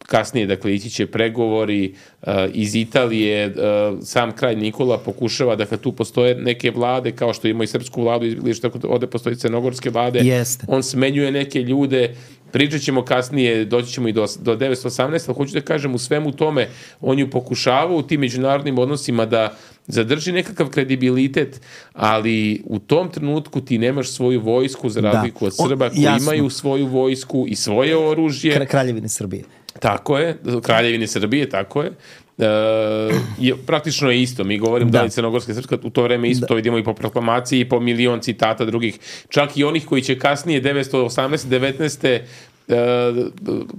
kasnije, dakle, ići će pregovori uh, iz Italije, uh, sam kralj Nikola pokušava, dakle, tu postoje neke vlade, kao što ima i srpsku vladu, ili što ovde postoji crnogorske vlade, Jeste. On smenjuje neke ljude, pričat ćemo kasnije, doći ćemo i do, do devetsto osamnaeste, ali hoću da kažem, u svemu tome, on ju pokušava u tim međunarodnim odnosima da zadrži nekakav kredibilitet, ali u tom trenutku ti nemaš svoju vojsku, za razliku od Srba, koji o, imaju svoju vojsku i svoje oružje. Kraljevine Srbije. Tako je, Kraljevine Srbije, tako je. E, je praktično je isto. Mi govorim da, da li Crnogorska Srpska u to vreme isto, da. To vidimo i po proklamaciji i po milion citata drugih, čak i onih koji će kasnije devetsto osamnaeste devetnaeste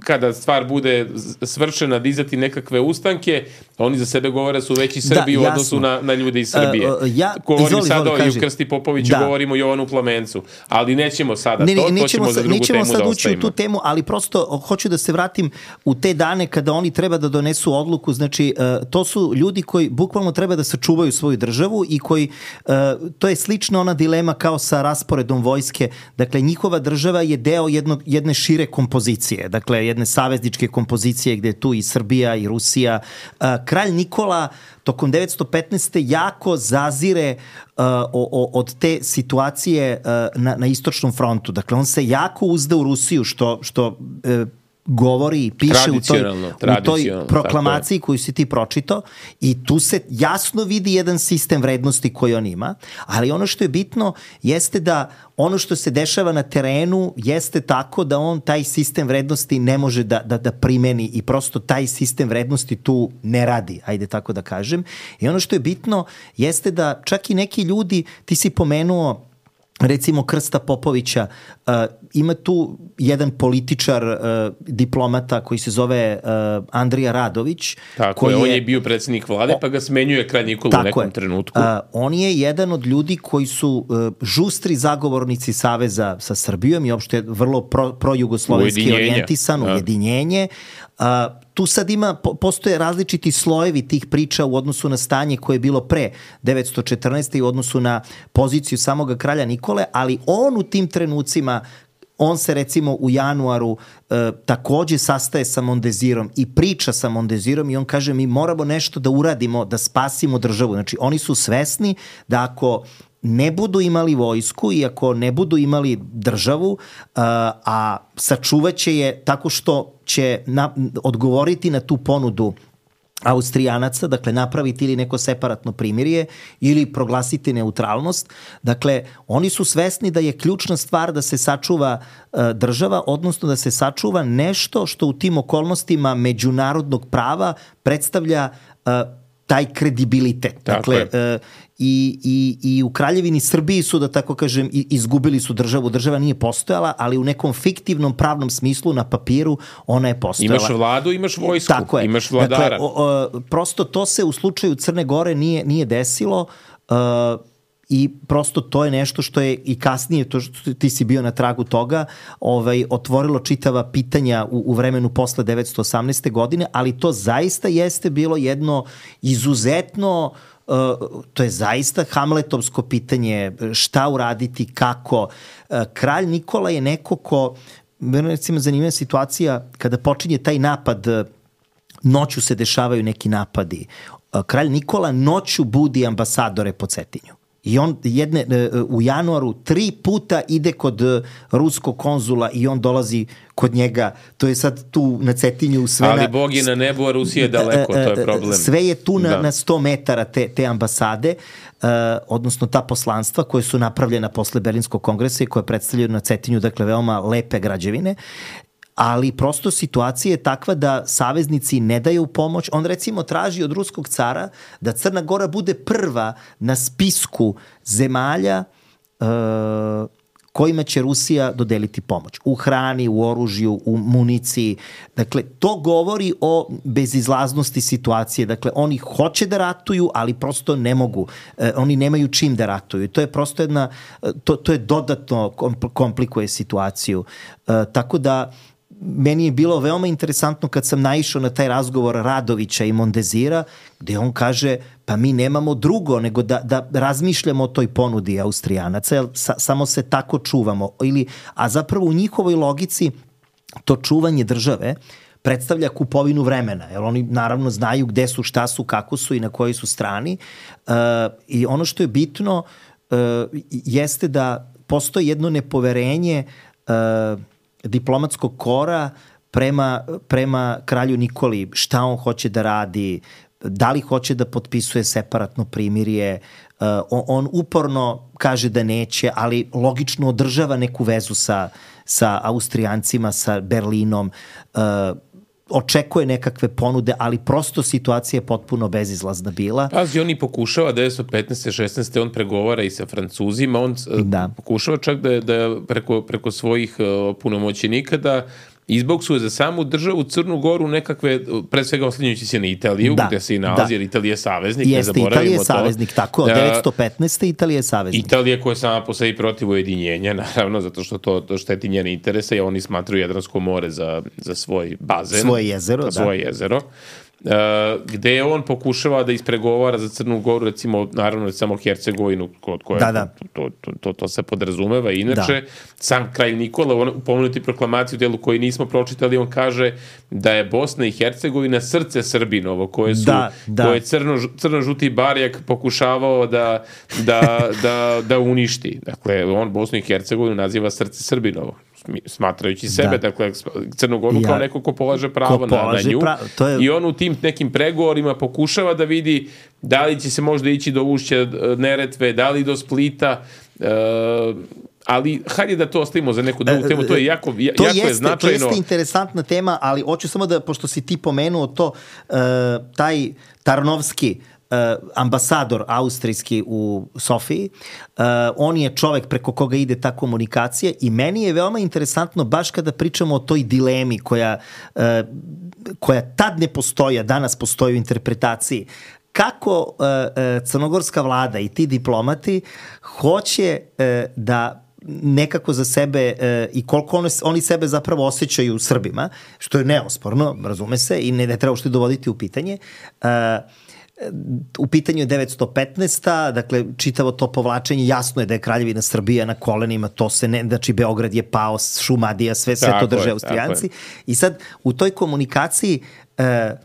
kada stvar bude svršena dizati nekakve ustanke, oni za sebe govore su veći Srbi da, u odnosu na, na ljude iz Srbije. Uh, ja, govorim izvoli, sada izvoli, o Krsti Popoviću, da. Govorimo o Jovanu Plamencu, ali nećemo sada ne, to, to ćemo sa, za drugu temu da ostavimo. Nećemo sad ući u tu temu, ali prosto hoću da se vratim u te dane kada oni treba da donesu odluku, znači uh, to su ljudi koji bukvalno treba da sačuvaju svoju državu i koji, uh, to je slično ona dilema kao sa rasporedom vojske, dakle njihova država je deo jednog, jedne šire kompozicije, dakle jedne savezničke kompozicije gde je tu i Srbija i Rusija. Kralj Nikola tokom devetsto petnaeste jako zazire uh, o, o, od te situacije uh, na, na istočnom frontu. Dakle, on se jako uzda u Rusiju, što, što uh, govori i piše u toj, u toj proklamaciji koju si ti pročitao i tu se jasno vidi jedan sistem vrednosti koji on ima, ali ono što je bitno jeste da ono što se dešava na terenu jeste tako da on taj sistem vrednosti ne može da, da, da primeni i prosto taj sistem vrednosti tu ne radi, ajde tako da kažem. I ono što je bitno jeste da čak i neki ljudi, ti si pomenuo recimo Krsta Popovića, uh, ima tu jedan političar, uh, diplomata koji se zove uh, Andrija Radović. Tako koji je, on je bio predsjednik vlade, o, pa ga smenjuje kralj Nikola u nekom je. trenutku. Uh, on je jedan od ljudi koji su uh, žustri zagovornici saveza sa Srbijom i uopšte vrlo pro, projugoslovenski orijentisan, ja. ujedinjenje. Uh, tu sad ima, postoje različiti slojevi tih priča u odnosu na stanje koje je bilo pre devetsto četrnaeste i u odnosu na poziciju samoga kralja Nikole, ali on u tim trenucima, on se recimo u januaru e, takođe sastaje sa Mondezirom i priča sa Mondezirom i on kaže mi moramo nešto da uradimo, da spasimo državu. Znači oni su svesni da ako ne budu imali vojsku i ako ne budu imali državu, a, a sačuvaće je tako što će na, odgovoriti na tu ponudu Austrijanaca, dakle napraviti ili neko separatno primirje ili proglasiti neutralnost. Dakle, oni su svesni da je ključna stvar da se sačuva uh, država, odnosno da se sačuva nešto što u tim okolnostima međunarodnog prava predstavlja uh, taj kredibilitet. Dakle, uh, i, i, i u Kraljevini Srbiji su, da tako kažem, izgubili su državu. Država nije postojala, ali u nekom fiktivnom pravnom smislu na papiru ona je postojala. Imaš vladu, imaš vojsku, tako je. Imaš vladara. Dakle, o, o, prosto to se u slučaju Crne Gore nije, nije desilo uh, i prosto to je nešto što je i kasnije, to što ti si bio na tragu toga, ovaj, otvorilo čitava pitanja u, u vremenu posle devetsto osamnaeste godine, ali to zaista jeste bilo jedno izuzetno Uh, to je zaista hamletovsko pitanje, šta uraditi, kako. Uh, kralj Nikola je neko ko, recimo zanimljiva situacija, kada počinje taj napad, noću se dešavaju neki napadi. Uh, kralj Nikola noću budi ambasadore po Cetinju. I on jedne, u januaru tri puta ide kod ruskog konzula i on dolazi kod njega. To je sad tu na Cetinju sve. Ali Bog je na nebu, a Rusija je daleko, to je problem. Sve je tu na, na sto metara te, te ambasade, uh, odnosno ta poslanstva koje su napravljena posle Berlinskog kongresa i koje predstavljaju na Cetinju, dakle veoma lepe građevine. Ali prosto situacija je takva da saveznici ne daju pomoć. On recimo traži od ruskog cara da Crna Gora bude prva na spisku zemalja uh, kojima će Rusija dodeliti pomoć. U hrani, u oružju, u municiji. Dakle, to govori o bezizlaznosti situacije. Dakle, oni hoće da ratuju, ali prosto ne mogu. E, oni nemaju čim da ratuju. To je prosto jedna, to, to je dodatno komplikuje situaciju. E, tako da, meni je bilo veoma interesantno kad sam naišao na taj razgovor Radovića i Mondezira, gde on kaže, pa mi nemamo drugo nego da, da razmišljamo o toj ponudi Austrijanaca, jer sa, samo se tako čuvamo. Ili, a zapravo u njihovoj logici to čuvanje države predstavlja kupovinu vremena, jer oni naravno znaju gde su, šta su, kako su i na kojoj su strani. Uh, I ono što je bitno uh, jeste da postoji jedno nepoverenje uh, diplomatskog kora prema, prema kralju Nikoli, šta on hoće da radi, da li hoće da potpisuje separatno primirje. Uh, on, on uporno kaže da neće, ali logično održava neku vezu sa, sa Austrijancima, sa Berlinom, uh, očekuje nekakve ponude, ali prosto situacija je potpuno bezizlazna bila. Pazi, on i pokušava devetsto petnaeste šesnaeste on pregovara i sa Francuzima, on da. pokušava čak da, da preko, preko svojih uh, punomoćenika da izboksuje za samu državu Crnu Goru nekakve, pre svega oslanjujući se na Italiju, da, gde se i nalazi, da. jer Italija je saveznik, Jeste, ne zaboravimo Italija je to. saveznik, tako, od devetsto petnaeste Italija je saveznik. Italija koja je sama po sebi protiv ujedinjenja, naravno, zato što to, to šteti njene interese i oni smatruju Jadransko more za, za svoj bazen. Svoje jezero, da. Svoje jezero. Uh, gde on pokušava da ispregovara za Crnu Goru, recimo, naravno, samo Hercegovinu, kod koje da, da. To, to, to, to se podrazumeva. Inače, da. sam kralj Nikola, on pomenuti proklamaciju u delu koji nismo pročitali, on kaže da je Bosna i Hercegovina srce Srbinovo, koje su, da, da. koje crno, crno-žuti barjak pokušavao da, da, da, da uništi. Dakle, on Bosnu i Hercegovinu naziva srce Srbinovo, smatrajući sebe, da. dakle, Crnu Goru ja. kao neko ko polaže pravo ko polaže na, na nju. Pra... To je... I on u tim nekim pregovorima pokušava da vidi da li će se možda ići do ušća Neretve, da li do Splita, uh, ali hajde da to ostavimo za neku drugu temu, to je jako, to jako jeste, je značajno. To jeste interesantna tema, ali hoću samo da, pošto si ti pomenuo to, uh, taj Tarnovski, Uh, ambasador austrijski u Sofiji, uh, on je čovek preko koga ide ta komunikacija i meni je veoma interesantno baš kada pričamo o toj dilemi koja, uh, koja tad ne postoji, a danas postoji u interpretaciji. Kako uh, uh, crnogorska vlada i ti diplomati hoće uh, da nekako za sebe e, i koliko oni, oni sebe zapravo osjećaju Srbima, što je neosporno, razume se, i ne, ne treba što dovoditi u pitanje. E, u pitanju je devetsto petnaesta. Dakle, čitavo to povlačenje, jasno je da je Kraljevina Srbija na kolenima, to se ne, znači Beograd je pao, Šumadija, sve, sve to drže Austrijanci. I sad, u toj komunikaciji e,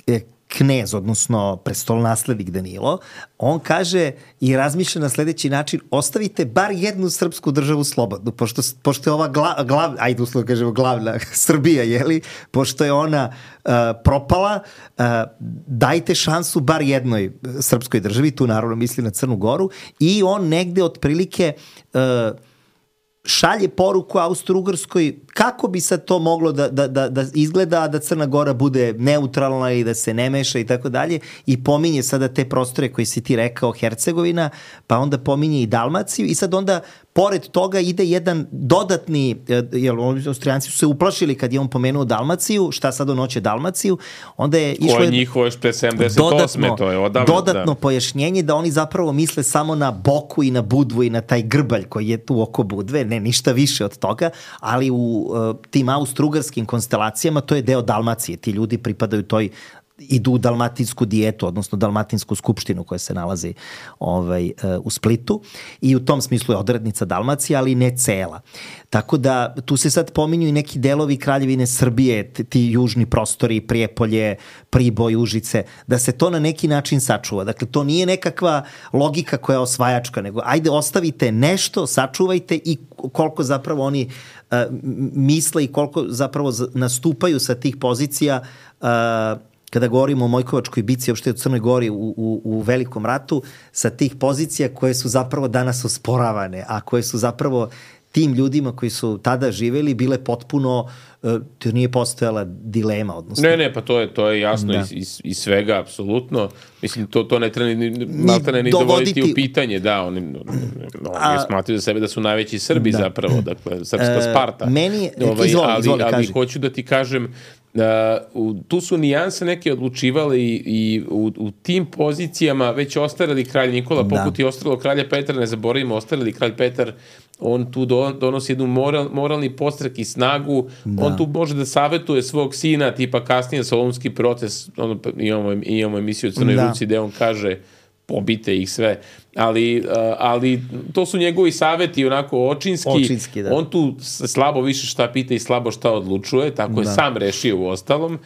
e, knez, odnosno prestolonaslednik Danilo, on kaže i razmišlja na sledeći način, ostavite bar jednu srpsku državu slobodnu, pošto, pošto je ova glav, glav, ajde uslovno kažemo glavna Srbija, jeli, pošto je ona uh, propala, uh, dajte šansu bar jednoj srpskoj državi, tu naravno misli na Crnu Goru, i on negde otprilike uh, šalje poruku Austro-Ugrskoj kako bi sad to moglo da, da, da, da izgleda, da Crna Gora bude neutralna i da se ne meša i tako dalje, i pominje sada te prostore koji si ti rekao, Hercegovina, pa onda pominje i Dalmaciju, i sad onda pored toga ide jedan dodatni, jer Austrijanci su se uplašili kad je on pomenuo Dalmaciju, šta sad on hoće Dalmaciju, onda je išlo koje njihovo još pre sedamdeset osme dodatno, to je odavno, dodatno da. pojašnjenje da oni zapravo misle samo na Boku i na Budvu i na taj grbalj koji je tu oko Budve, ne ništa više od toga, ali u uh, tim austro-ugarskim konstelacijama to je deo Dalmacije, ti ljudi pripadaju toj, idu u dalmatinsku dijetu, odnosno dalmatinsku skupštinu koja se nalazi ovaj, u Splitu, i u tom smislu je odrednica Dalmacija, ali ne cela. Tako da tu se sad pominju i neki delovi Kraljevine Srbije, ti južni prostori, Prijepolje, Priboj, Užice, da se to na neki način sačuva. Dakle, to nije nekakva logika koja je osvajačka, nego ajde ostavite nešto, sačuvajte, i koliko zapravo oni uh, misle i koliko zapravo nastupaju sa tih pozicija uh, kada govorimo o Mojkovačkoj bici, uopšte u Crnoj Gori u, u, u Velikom ratu, sa tih pozicija koje su zapravo danas osporavane, a koje su zapravo tim ljudima koji su tada živeli bile potpuno, to nije postojala dilema, odnosno. Ne, ne, pa to je, to je jasno iz, iz, iz svega, apsolutno. Mislim, to, to ne treba ni, ni, ni dovoditi u pitanje, da, oni, oni smatruju za sebe da su najveći Srbi da. zapravo, dakle, srpska Sparta. Uh, meni, ovaj, izvoli, ali, izvoli, ali kaži. hoću da ti kažem, Uh, u, tu su nijanse neke odlučivale i, i u, u tim pozicijama već ostareli kralj Nikola, poput da. i ostarelo kralja Petra, ne zaboravimo, ostareli kralj Petar, on tu do, donosi jednu moral, moralni podstrek i snagu, da. on tu može da savetuje svog sina, tipa kasnije Solunski proces, ono, imamo, imamo emisiju o Crnoj da. Ruci gde on kaže pobite ih sve, ali, uh, ali to su njegovi saveti onako očinski, očinski da. On tu slabo više šta pita i slabo šta odlučuje, tako je da. sam rešio u ostalom,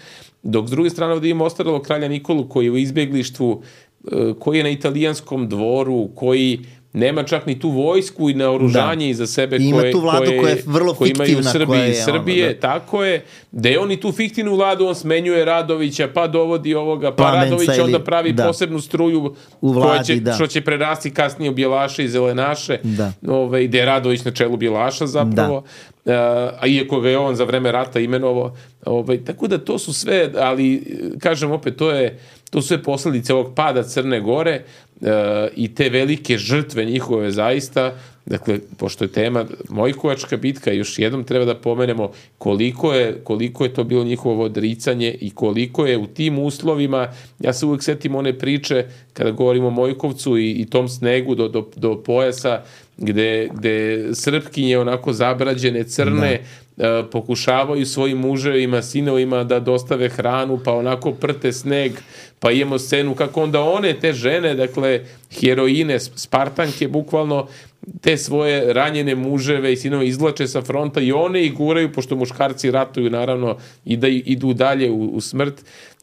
dok s druge strane ovdje imamo ostarelo kralja Nikolu koji je u izbjeglištvu, uh, koji je na italijanskom dvoru, koji nema čak ni tu vojsku i naoružanje da. iza sebe I koje, tu vladu koje, koja je vrlo koje imaju fiktivna, Srbije i Srbije, ono, da. tako je, da je on i tu fiktivnu vladu, on smenjuje Radovića, pa dovodi ovoga, pa Plamenca Radović ili, onda pravi da. posebnu struju u vladi, koja će, da. što će prerasti kasnije u Bjelaše i Zelenaše, da. Ove, gde je Radović na čelu Bjelaša zapravo, da. a iako ga je on za vreme rata imenovo, ove, tako da to su sve, ali kažem opet, to je to su sve posledice ovog pada Crne Gore uh, i te velike žrtve njihove zaista. Dakle, pošto je tema Mojkovačka bitka, još jednom treba da pomenemo koliko je, koliko je to bilo njihovo odricanje i koliko je u tim uslovima, ja se uvijek setim one priče kada govorimo o Mojkovcu i, i tom snegu do, do, do pojasa gde, gde Srpkinje onako zabrađene, crne, da. uh, pokušavaju svojim muževima, sinovima da dostave hranu, pa onako prte sneg, pa imamo scenu kako onda one, te žene, dakle, heroine, Spartanke, bukvalno, te svoje ranjene muževe i sinove izvlače sa fronta i one ih guraju, pošto muškarci ratuju, naravno, i da idu dalje u, u smrt.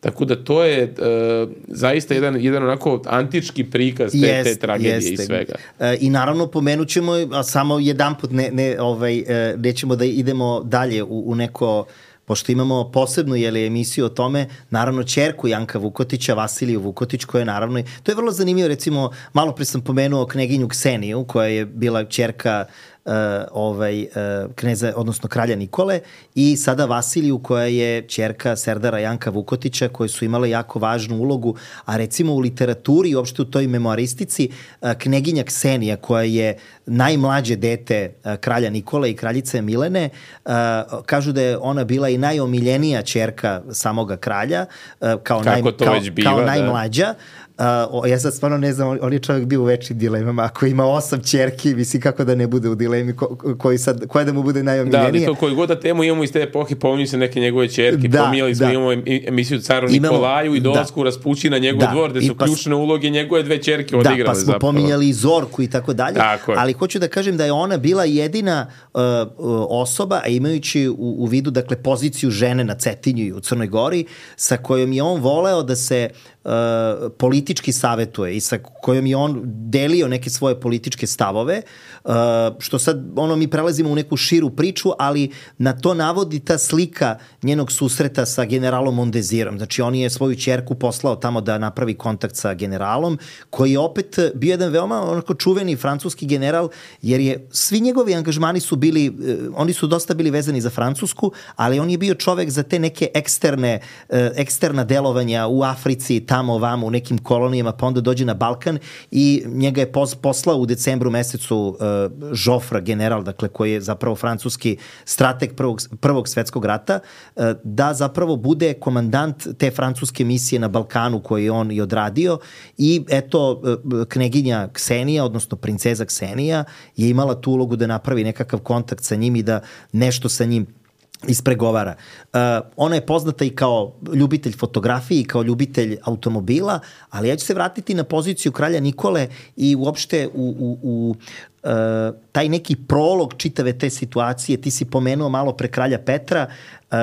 Tako da to je uh, zaista jedan, jedan onako antički prikaz te, jest, te tragedije jeste. I svega. E, I naravno pomenut ćemo, a samo jedan put ne, ne, ovaj, nećemo da idemo dalje u, u neko, pošto imamo posebnu jeli, emisiju o tome, naravno ćerku Janka Vukotića, Vasiliju Vukotić, koja je naravno, to je vrlo zanimljivo, recimo, malo pre sam pomenuo kneginju Kseniju, koja je bila ćerka Uh, ovaj, uh, kneza, odnosno kralja Nikole, i sada Vasiliju koja je ćerka Serdara Janka Vukotića, koje su imale jako važnu ulogu, a recimo u literaturi i uopšte u toj memoaristici uh, kneginja Ksenija koja je najmlađe dete uh, kralja Nikole i kraljice Milene, uh, kažu da je ona bila i najomiljenija ćerka samoga kralja, uh, kao, naj, kao, biva, kao najmlađa. Uh, ja sad stvarno ne znam, on je čovjek bio u večnim dilemama, ako ima osam ćerki, misli kako da ne bude u dilemi, ko, koji sad, koja da mu bude najomiljenija. Da, ali to koju god da temu imamo iz te epohe, pominju se neke njegove ćerke, da, pominjali smo, da. imamo emisiju Caru imamo, Nikolaju i dolasku da. Raspući na njegov da. dvor, gde su pa, ključne uloge njegove dve ćerke odigrale zapravo. Da, pa smo zapravo. pominjali i Zorku i tako dalje, ali hoću da kažem da je ona bila jedina uh, osoba, a imajući u, u vidu, dakle, poziciju žene na Cetinju i u Crnoj Gori, sa kojom je on voleo da se Uh, politički savetuje i sa kojom je on delio neke svoje političke stavove, uh, što sad ono mi prelazimo u neku širu priču, ali na to navodi ta slika njenog susreta sa generalom Mondezirom. Znači on je svoju ćerku poslao tamo da napravi kontakt sa generalom, koji je opet bio jedan veoma onako čuveni francuski general, jer je svi njegovi angažmani su bili, uh, oni su dosta bili vezani za Francusku, ali on je bio čovek za te neke eksterne, uh, eksterna delovanja u Africi, tamo ovamo u nekim kolonijama, pa onda dođe na Balkan i njega je poslao u decembru mesecu uh, Joffre, general, dakle koji je zapravo francuski strateg prvog, prvog svetskog rata, uh, da zapravo bude komandant te francuske misije na Balkanu koji je on i odradio i eto uh, kneginja Ksenija, odnosno princeza Ksenija je imala tu ulogu da napravi nekakav kontakt sa njim i da nešto sa njim ispregovara. Uh, ona je poznata i kao ljubitelj fotografije i kao ljubitelj automobila, ali ja ću se vratiti na poziciju kralja Nikole i uopšte u, u, u uh, taj neki prolog čitave te situacije. Ti si pomenuo malo pre kralja Petra. Uh,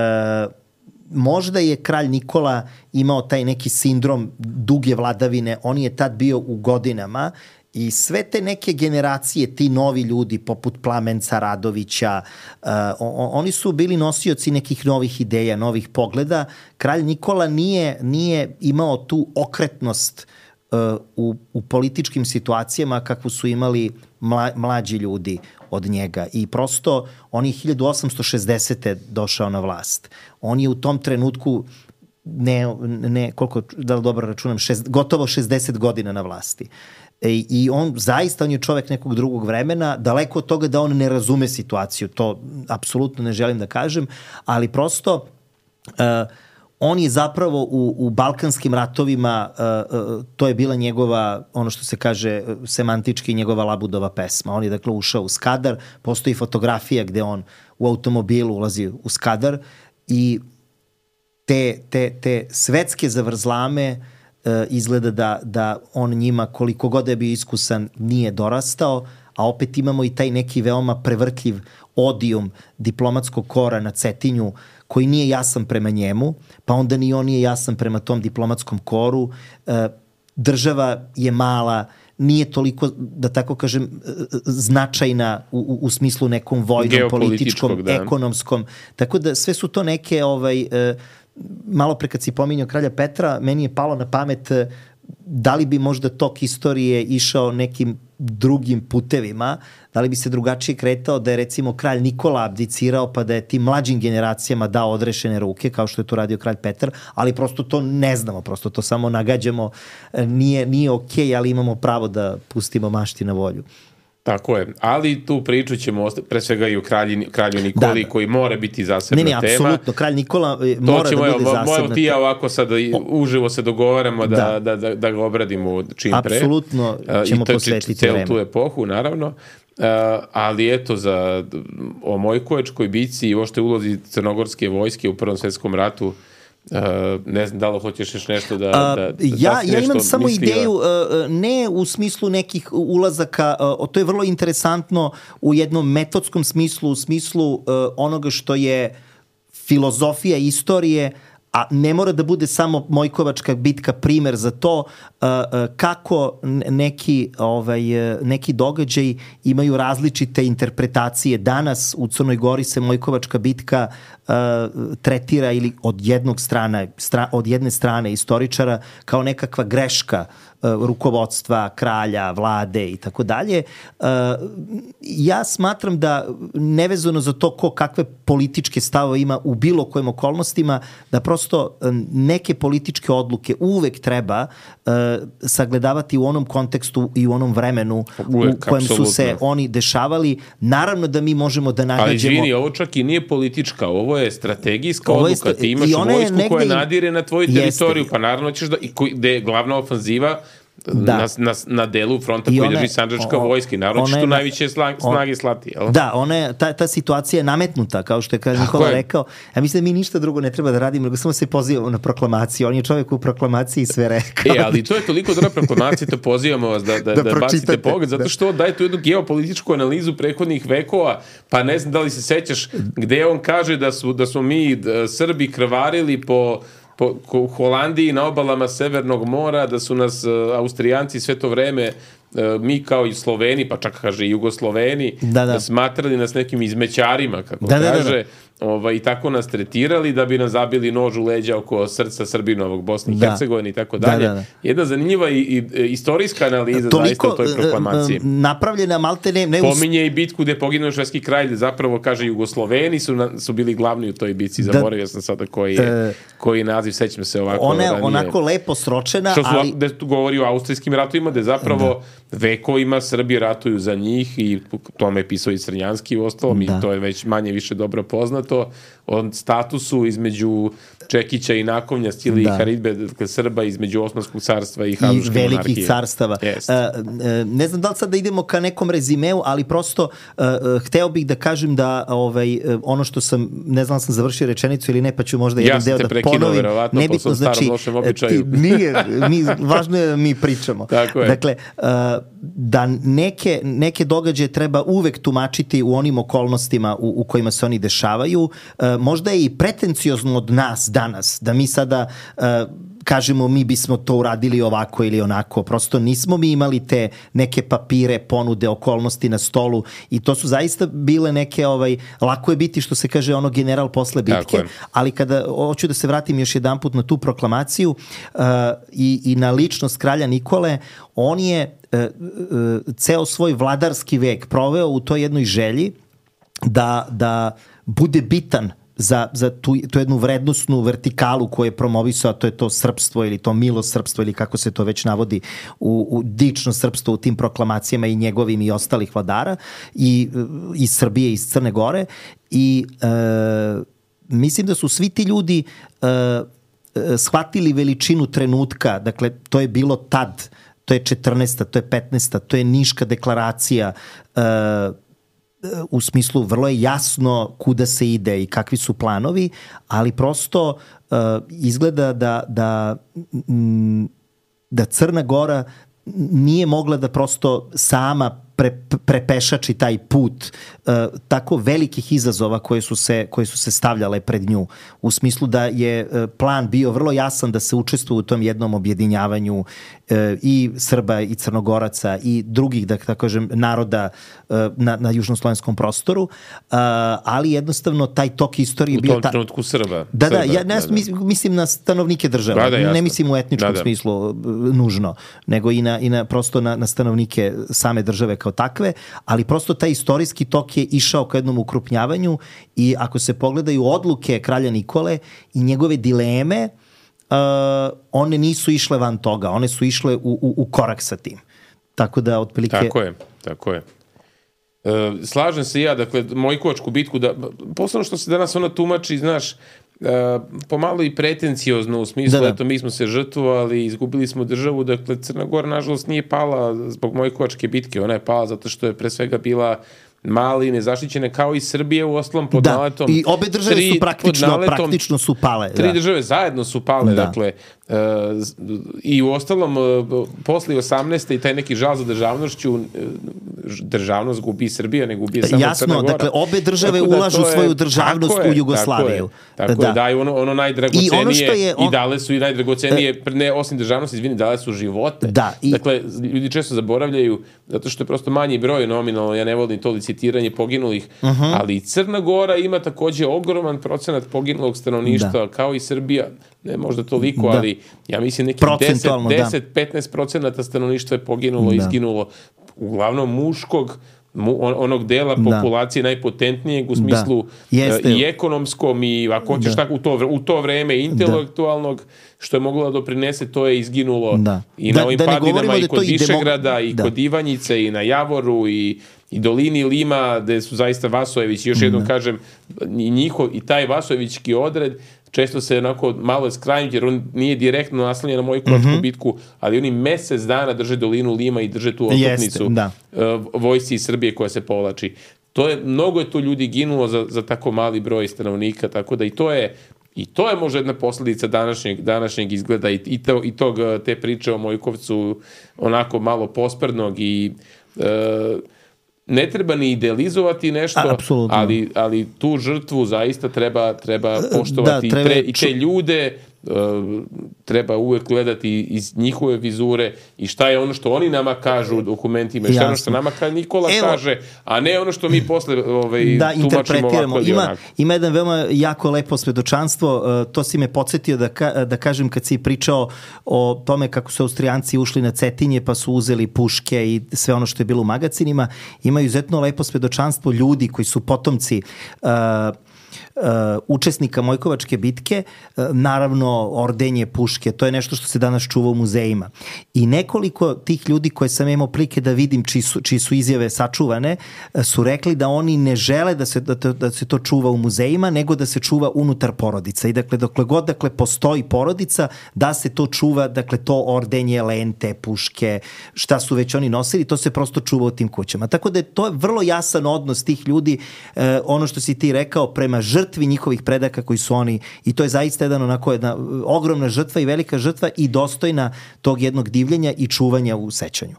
možda je kralj Nikola imao taj neki sindrom duge vladavine. On je tad bio u godinama i sve te neke generacije, ti novi ljudi poput Plamenca, Radovića, uh, on, oni su bili nosioci nekih novih ideja, novih pogleda. Kralj Nikola nije, nije imao tu okretnost u, u političkim situacijama kakvu su imali mla, mlađi ljudi od njega. I prosto on je hiljadu osamsto šezdesete došao na vlast. On je u tom trenutku ne, ne koliko, da li dobro računam, šest, gotovo šezdeset godina na vlasti. I, I on zaista, on je čovek nekog drugog vremena, daleko od toga da on ne razume situaciju, to apsolutno ne želim da kažem, ali prosto uh, on je zapravo u, u balkanskim ratovima, uh, uh, to je bila njegova, ono što se kaže semantički, njegova Labudova pesma. On je dakle ušao u Skadar, postoji fotografija gde on u automobilu ulazi u Skadar i te, te, te svetske zavrzlame uh, izgleda da, da on njima, koliko god je bio iskusan, nije dorastao, a opet imamo i taj neki veoma prevrtljiv odijum diplomatskog kora na Cetinju koji nije jasan prema njemu, pa onda ni on nije jasan prema tom diplomatskom koru. E, država je mala, nije toliko, da tako kažem, značajna u, u, u smislu nekom vojnom, političkom, da. ekonomskom. Tako da sve su to neke, ovaj, e, malo pre kad si pominjao kralja Petra, meni je palo na pamet e, da li bi možda tok istorije išao nekim drugim putevima, da li bi se drugačije kretao da je recimo kralj Nikola abdicirao pa da je tim mlađim generacijama dao odrešene ruke kao što je to radio kralj Petar, ali prosto to ne znamo, prosto to samo nagađamo, nije, nije okej, okay, ali imamo pravo da pustimo mašti na volju. Tako je, ali tu priču ćemo osta- pre svega i o kralji, kralju Nikoli, da, da. koji mora biti zasebna tema. Ne, ne, apsolutno, kralj Nikola mora ćemo, da bude evo, zasebna tema. Moja ti ja ovako sad uživo se dogovaramo da, da. Da, da, da ga obradimo čim pre. Apsolutno ćemo to, posvetiti celu vreme. Tu epohu, naravno. Uh, ali eto, za, o Mojkovačkoj bici i ošte ulozi crnogorske vojske u Prvom svetskom ratu, Uh, ne znam da li hoćeš još nešto da, da, da ja, da ja imam samo misliva. ideju uh, ne u smislu nekih ulazaka, uh, to je vrlo interesantno u jednom metodskom smislu, u smislu uh, onoga što je filozofija istorije, a ne mora da bude samo Mojkovačka bitka primer za to uh, uh, kako neki, ovaj, neki događaj imaju različite interpretacije. Danas u Crnoj Gori se Mojkovačka bitka uh, tretira ili od jednog strana, stra, od jedne strane istoričara kao nekakva greška rukovodstva, kralja, vlade i tako dalje. Ja smatram da nevezano za to ko kakve političke stavove ima u bilo kojim okolnostima, da prosto neke političke odluke uvek treba uh, sagledavati u onom kontekstu i u onom vremenu uvek, u kojem apsolutno. Su se oni dešavali. Naravno da mi možemo da nagađemo... Ali izvini, ovo čak i nije politička, ovo je strategijska ovo je odluka. Ti imaš vojsku koja nadire na tvoju teritoriju, jeste. Pa naravno ćeš da... I koji, gde je glavna ofanziva Da. Na, na, na delu fronta koji drži Sandžačka vojska. Naravno ćeš tu najviše sla, snage slati. Jel? Da, one, ta, ta situacija je nametnuta, kao što je kralj Nikola je. rekao. Ja mislim da mi ništa drugo ne treba da radimo, nego samo se pozivamo na proklamaciju. On je čovjek u proklamaciji sve rekao. E, ali to je toliko dobra proklamacija, to pozivamo vas da, da, da, da bacite pogled, zato što daje tu jednu geopolitičku analizu prethodnih vekova, pa ne znam da li se sećaš gde on kaže da su, da smo mi da, Srbi krvarili po po u Holandiji na obalama Severnog mora, da su nas uh, Austrijanci sve to vreme, uh, mi kao i Sloveni, pa čak kaže i Jugosloveni, da, da. smatrali nas nekim izmećarima, kako da, kaže, da, da, da. Ovaj, i tako nas tretirali da bi nam zabili nož u leđa oko srca Srbinovog, Bosne i da. Hercegovine i tako dalje. Da, da, da. Jedna zanimljiva i, i istorijska analiza toliko, zaista o toj proklamaciji. Napravljena malte ne... ne us... Pominje i bitku gde je poginuo švedski kralj, zapravo kaže Jugosloveni su, na, su bili glavni u toj bitci, zaboravio sam sada koji je, uh, koji naziv, sećam se ovako. Ona je onako lepo sročena, što su, ali... Gde tu govori o austrijskim ratovima, gde zapravo da. vekovima Srbi ratuju za njih i tome je pisao i Crnjanski u ostalom da. i to je već manje više dobro poznato. O statusu između Čekića i Nakovnja, stili da. i Haridbe, dakle Srba između Osmanskog carstva i Habsburške monarhije. I velikih monarhije. carstava. Uh, ne znam da li sad da idemo ka nekom rezimeu, ali prosto uh, hteo bih da kažem da ovaj, ono što sam, ne znam sam završio rečenicu ili ne, pa ću možda jedan deo da ponovim. Ja sam te prekinuo, verovatno, nebitno, po svom starom znači, lošem običaju. Ti, nije, mi, važno je da mi pričamo. Tako je. Dakle, uh, da neke, neke događaje treba uvek tumačiti u onim okolnostima u, u kojima se oni dešavaju. Uh, možda je i pretenciozno od nas danas, da mi sada uh, kažemo mi bismo to uradili ovako ili onako. Prosto nismo mi imali te neke papire, ponude, okolnosti na stolu i to su zaista bile neke, ovaj, lako je biti što se kaže ono general posle bitke, ali kada hoću da se vratim još jedanput na tu proklamaciju uh, i, i na ličnost kralja Nikole, on je uh, uh, ceo svoj vladarski vek proveo u toj jednoj želji da, da bude bitan za, za tu, tu jednu vrednostnu vertikalu koju je promovisao, a to je to srpstvo ili to milo srpstvo ili kako se to već navodi u, u dično srpstvo u tim proklamacijama i njegovim i ostalih vladara i iz Srbije i iz Crne Gore i e, mislim da su svi ti ljudi e, shvatili veličinu trenutka, dakle to je bilo tad, to je četrnaesta, to je petnaesta, to je Niška deklaracija, e, u smislu vrlo je jasno kuda se ide i kakvi su planovi, ali prosto uh, izgleda da, da, da Crna Gora nije mogla da prosto sama pre, prepešači taj put uh, tako velikih izazova koje su, se, koje su se stavljale pred nju. U smislu da je uh, plan bio vrlo jasan da se učestvuje u tom jednom objedinjavanju uh, i Srba i Crnogoraca i drugih, da tako kažem, naroda uh, na, na južnoslovenskom prostoru, uh, ali jednostavno taj tok istorije u bio... U tom trenutku Srba. Da, Srba, da, ja ne, da, da. mislim na stanovnike države. Da, da, ne mislim u etničkom da, da. smislu uh, nužno, nego i na, i na prosto na, na stanovnike same države kao takve, ali prosto taj istorijski tok je išao ka jednom ukrupnjavanju i ako se pogledaju odluke kralja Nikole i njegove dileme, uh, one nisu išle van toga, one su išle u, u, u korak sa tim. Tako da, otprilike... Tako je, tako je. E, slažem se ja, dakle, Mojkovačku bitku, da, posebno što se danas ona tumači, znaš, Uh, pomalo i pretenciozno u smislu, da, da. Eto, mi smo se žrtvovali, izgubili smo državu, dakle Crna Gora nažalost nije pala zbog Mojkovačke bitke, ona je pala zato što je pre svega bila mali i nezaštićene kao i Srbije u ostalom pod da. naletom. I obe države tri, su praktično, naletom, praktično su pale. Tri da. države zajedno su pale, da. dakle, uh, i u ostalom uh, posle osamnaeste i taj neki žal za državnošću, uh, državnost gubi Srbija, ne gubi samo Jasno, Crna Gora. Dakle, obe države da ulažu je, svoju državnost u Jugoslaviju. Tako je, tako da. je, daju ono, ono najdragocenije i, ono što je, on... i dale su i najdragocenije, ne osim državnosti, izvini, dale su živote. Da, i... Dakle, ljudi često zaboravljaju, zato što je prosto manji broj nominalno, ja ne volim to licitiranje poginulih, uh-huh. ali Crna Gora ima takođe ogroman procenat poginulog stanovništva, da. kao i Srbija, ne možda toliko, da. ali ja mislim neki deset do deset do petnaest procenata stanovništva je poginulo, da. izginulo, uglavnom muškog, mu, onog dela populacije da. najpotentnijeg u smislu da. i ekonomskom i ako hoćeš da. tako u to, u to vreme intelektualnog, da. što je moglo da doprinese, to je izginulo da. i na da, ovim da padinama i kod Višegrada i da. kod Ivanjice i na Javoru i i dolini Lima, gde su zaista Vasojević, još jednom kažem, i njihov, i taj Vasojevićki odred, često se onako malo skrajnju, jer on nije direktno naslonjen na Mojkovačku mm-hmm. bitku, ali oni mesec dana drže dolinu Lima i drže tu otopnicu da. uh, vojsci iz Srbije koja se povlači. To je, mnogo je tu ljudi ginulo za, za tako mali broj stanovnika, tako da i to je I to je možda jedna posledica današnjeg, današnjeg izgleda i, i, to, i tog, te priče o Mojkovcu onako malo posprdnog i uh, ne treba ni idealizovati nešto, A, ali, ali tu žrtvu zaista treba, treba poštovati da, treba... I, tre, i te ljude uh, treba uvek gledati iz njihove vizure i šta je ono što oni nama kažu u dokumentima i šta je ono što nama Nikola Evo, kaže, a ne ono što mi posle ovaj, da, tumačimo ovako ili ima, onako. Ima jedan veoma jako lepo svedočanstvo, uh, to si me podsjetio da, ka, da kažem kad si pričao o tome kako su Austrijanci ušli na Cetinje pa su uzeli puške i sve ono što je bilo u magacinima. Ima izuzetno lepo svedočanstvo ljudi koji su potomci uh, Uh, učesnika Mojkovačke bitke, uh, naravno ordenje, puške, to je nešto što se danas čuva u muzejima. I nekoliko tih ljudi koje sam imao prilike da vidim čiji su, čiji su izjave sačuvane, uh, su rekli da oni ne žele da se, da, da se to čuva u muzejima, nego da se čuva unutar porodica. I dakle, dokle god dakle, postoji porodica, da se to čuva, dakle, to ordenje, lente, puške, šta su već oni nosili, to se prosto čuva u tim kućama. Tako da je to vrlo jasan odnos tih ljudi, uh, ono što si ti rekao, prema žrtvi njihovih predaka koji su oni, i to je zaista jedan onako jedna ogromna žrtva i velika žrtva i dostojna tog jednog divljenja i čuvanja u sećanju.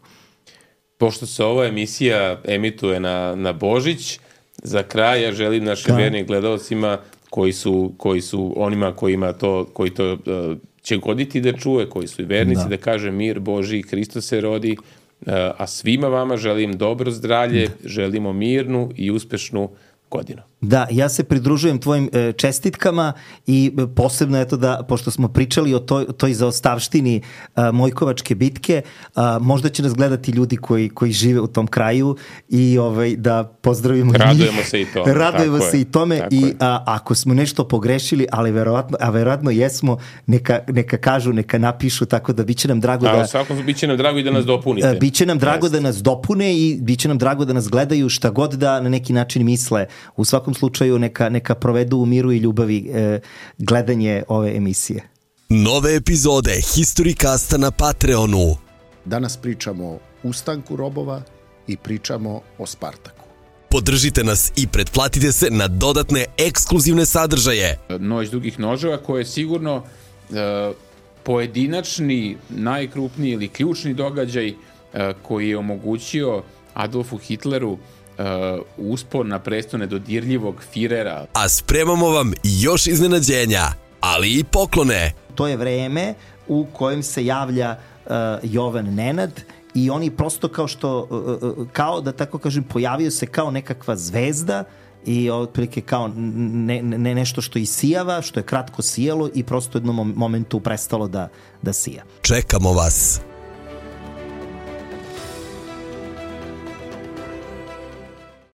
Pošto se ova emisija emituje na, na Božić, za kraj ja želim našim vernim gledalcima koji su, koji su onima kojima to, koji to uh, će goditi da čuje, koji su i vernici, da, Da. kaže mir Božji, Hristos se rodi, a svima vama želim dobro zdravlje, želimo mirnu i uspešnu godinu. Da, ja se pridružujem tvojim e, čestitkama i e, posebno eto da, pošto smo pričali o toj, toj zaostavštini e, Mojkovačke bitke, a, možda će nas gledati ljudi koji, koji žive u tom kraju i ovaj, da pozdravimo Radujemo njih. se i tome. Radujemo tako se je, i tome i a, ako smo nešto pogrešili, ali verovatno, a verovatno jesmo, neka, neka kažu, neka napišu, tako da biće nam drago a, da... A svakom biće nam drago i da nas dopunite. E, biće nam drago Jeste. da nas dopune i biće nam drago da nas gledaju šta god da na neki način misle. U svakom slučaju neka, neka provedu u miru i ljubavi e, gledanje ove emisije. Nove epizode Historicasta na Patreonu. Danas pričamo o ustanku robova i pričamo o Spartaku. Podržite nas i pretplatite se na dodatne ekskluzivne sadržaje. Noć dugih noževa, koje je sigurno e, pojedinačni, najkrupniji ili ključni događaj e, koji je omogućio Adolfu Hitleru Uh, uspon na presto nedodirljivog Firera. A spremamo vam još iznenađenja, ali i poklone. To je vreme u kojem se javlja uh, Jovan Nenad i oni prosto kao što, uh, kao da tako kažem, pojavio se kao nekakva zvezda i otprilike kao ne, ne, nešto što isijava, što je kratko sijalo i prosto u jednom momentu prestalo da, da sija. Čekamo vas.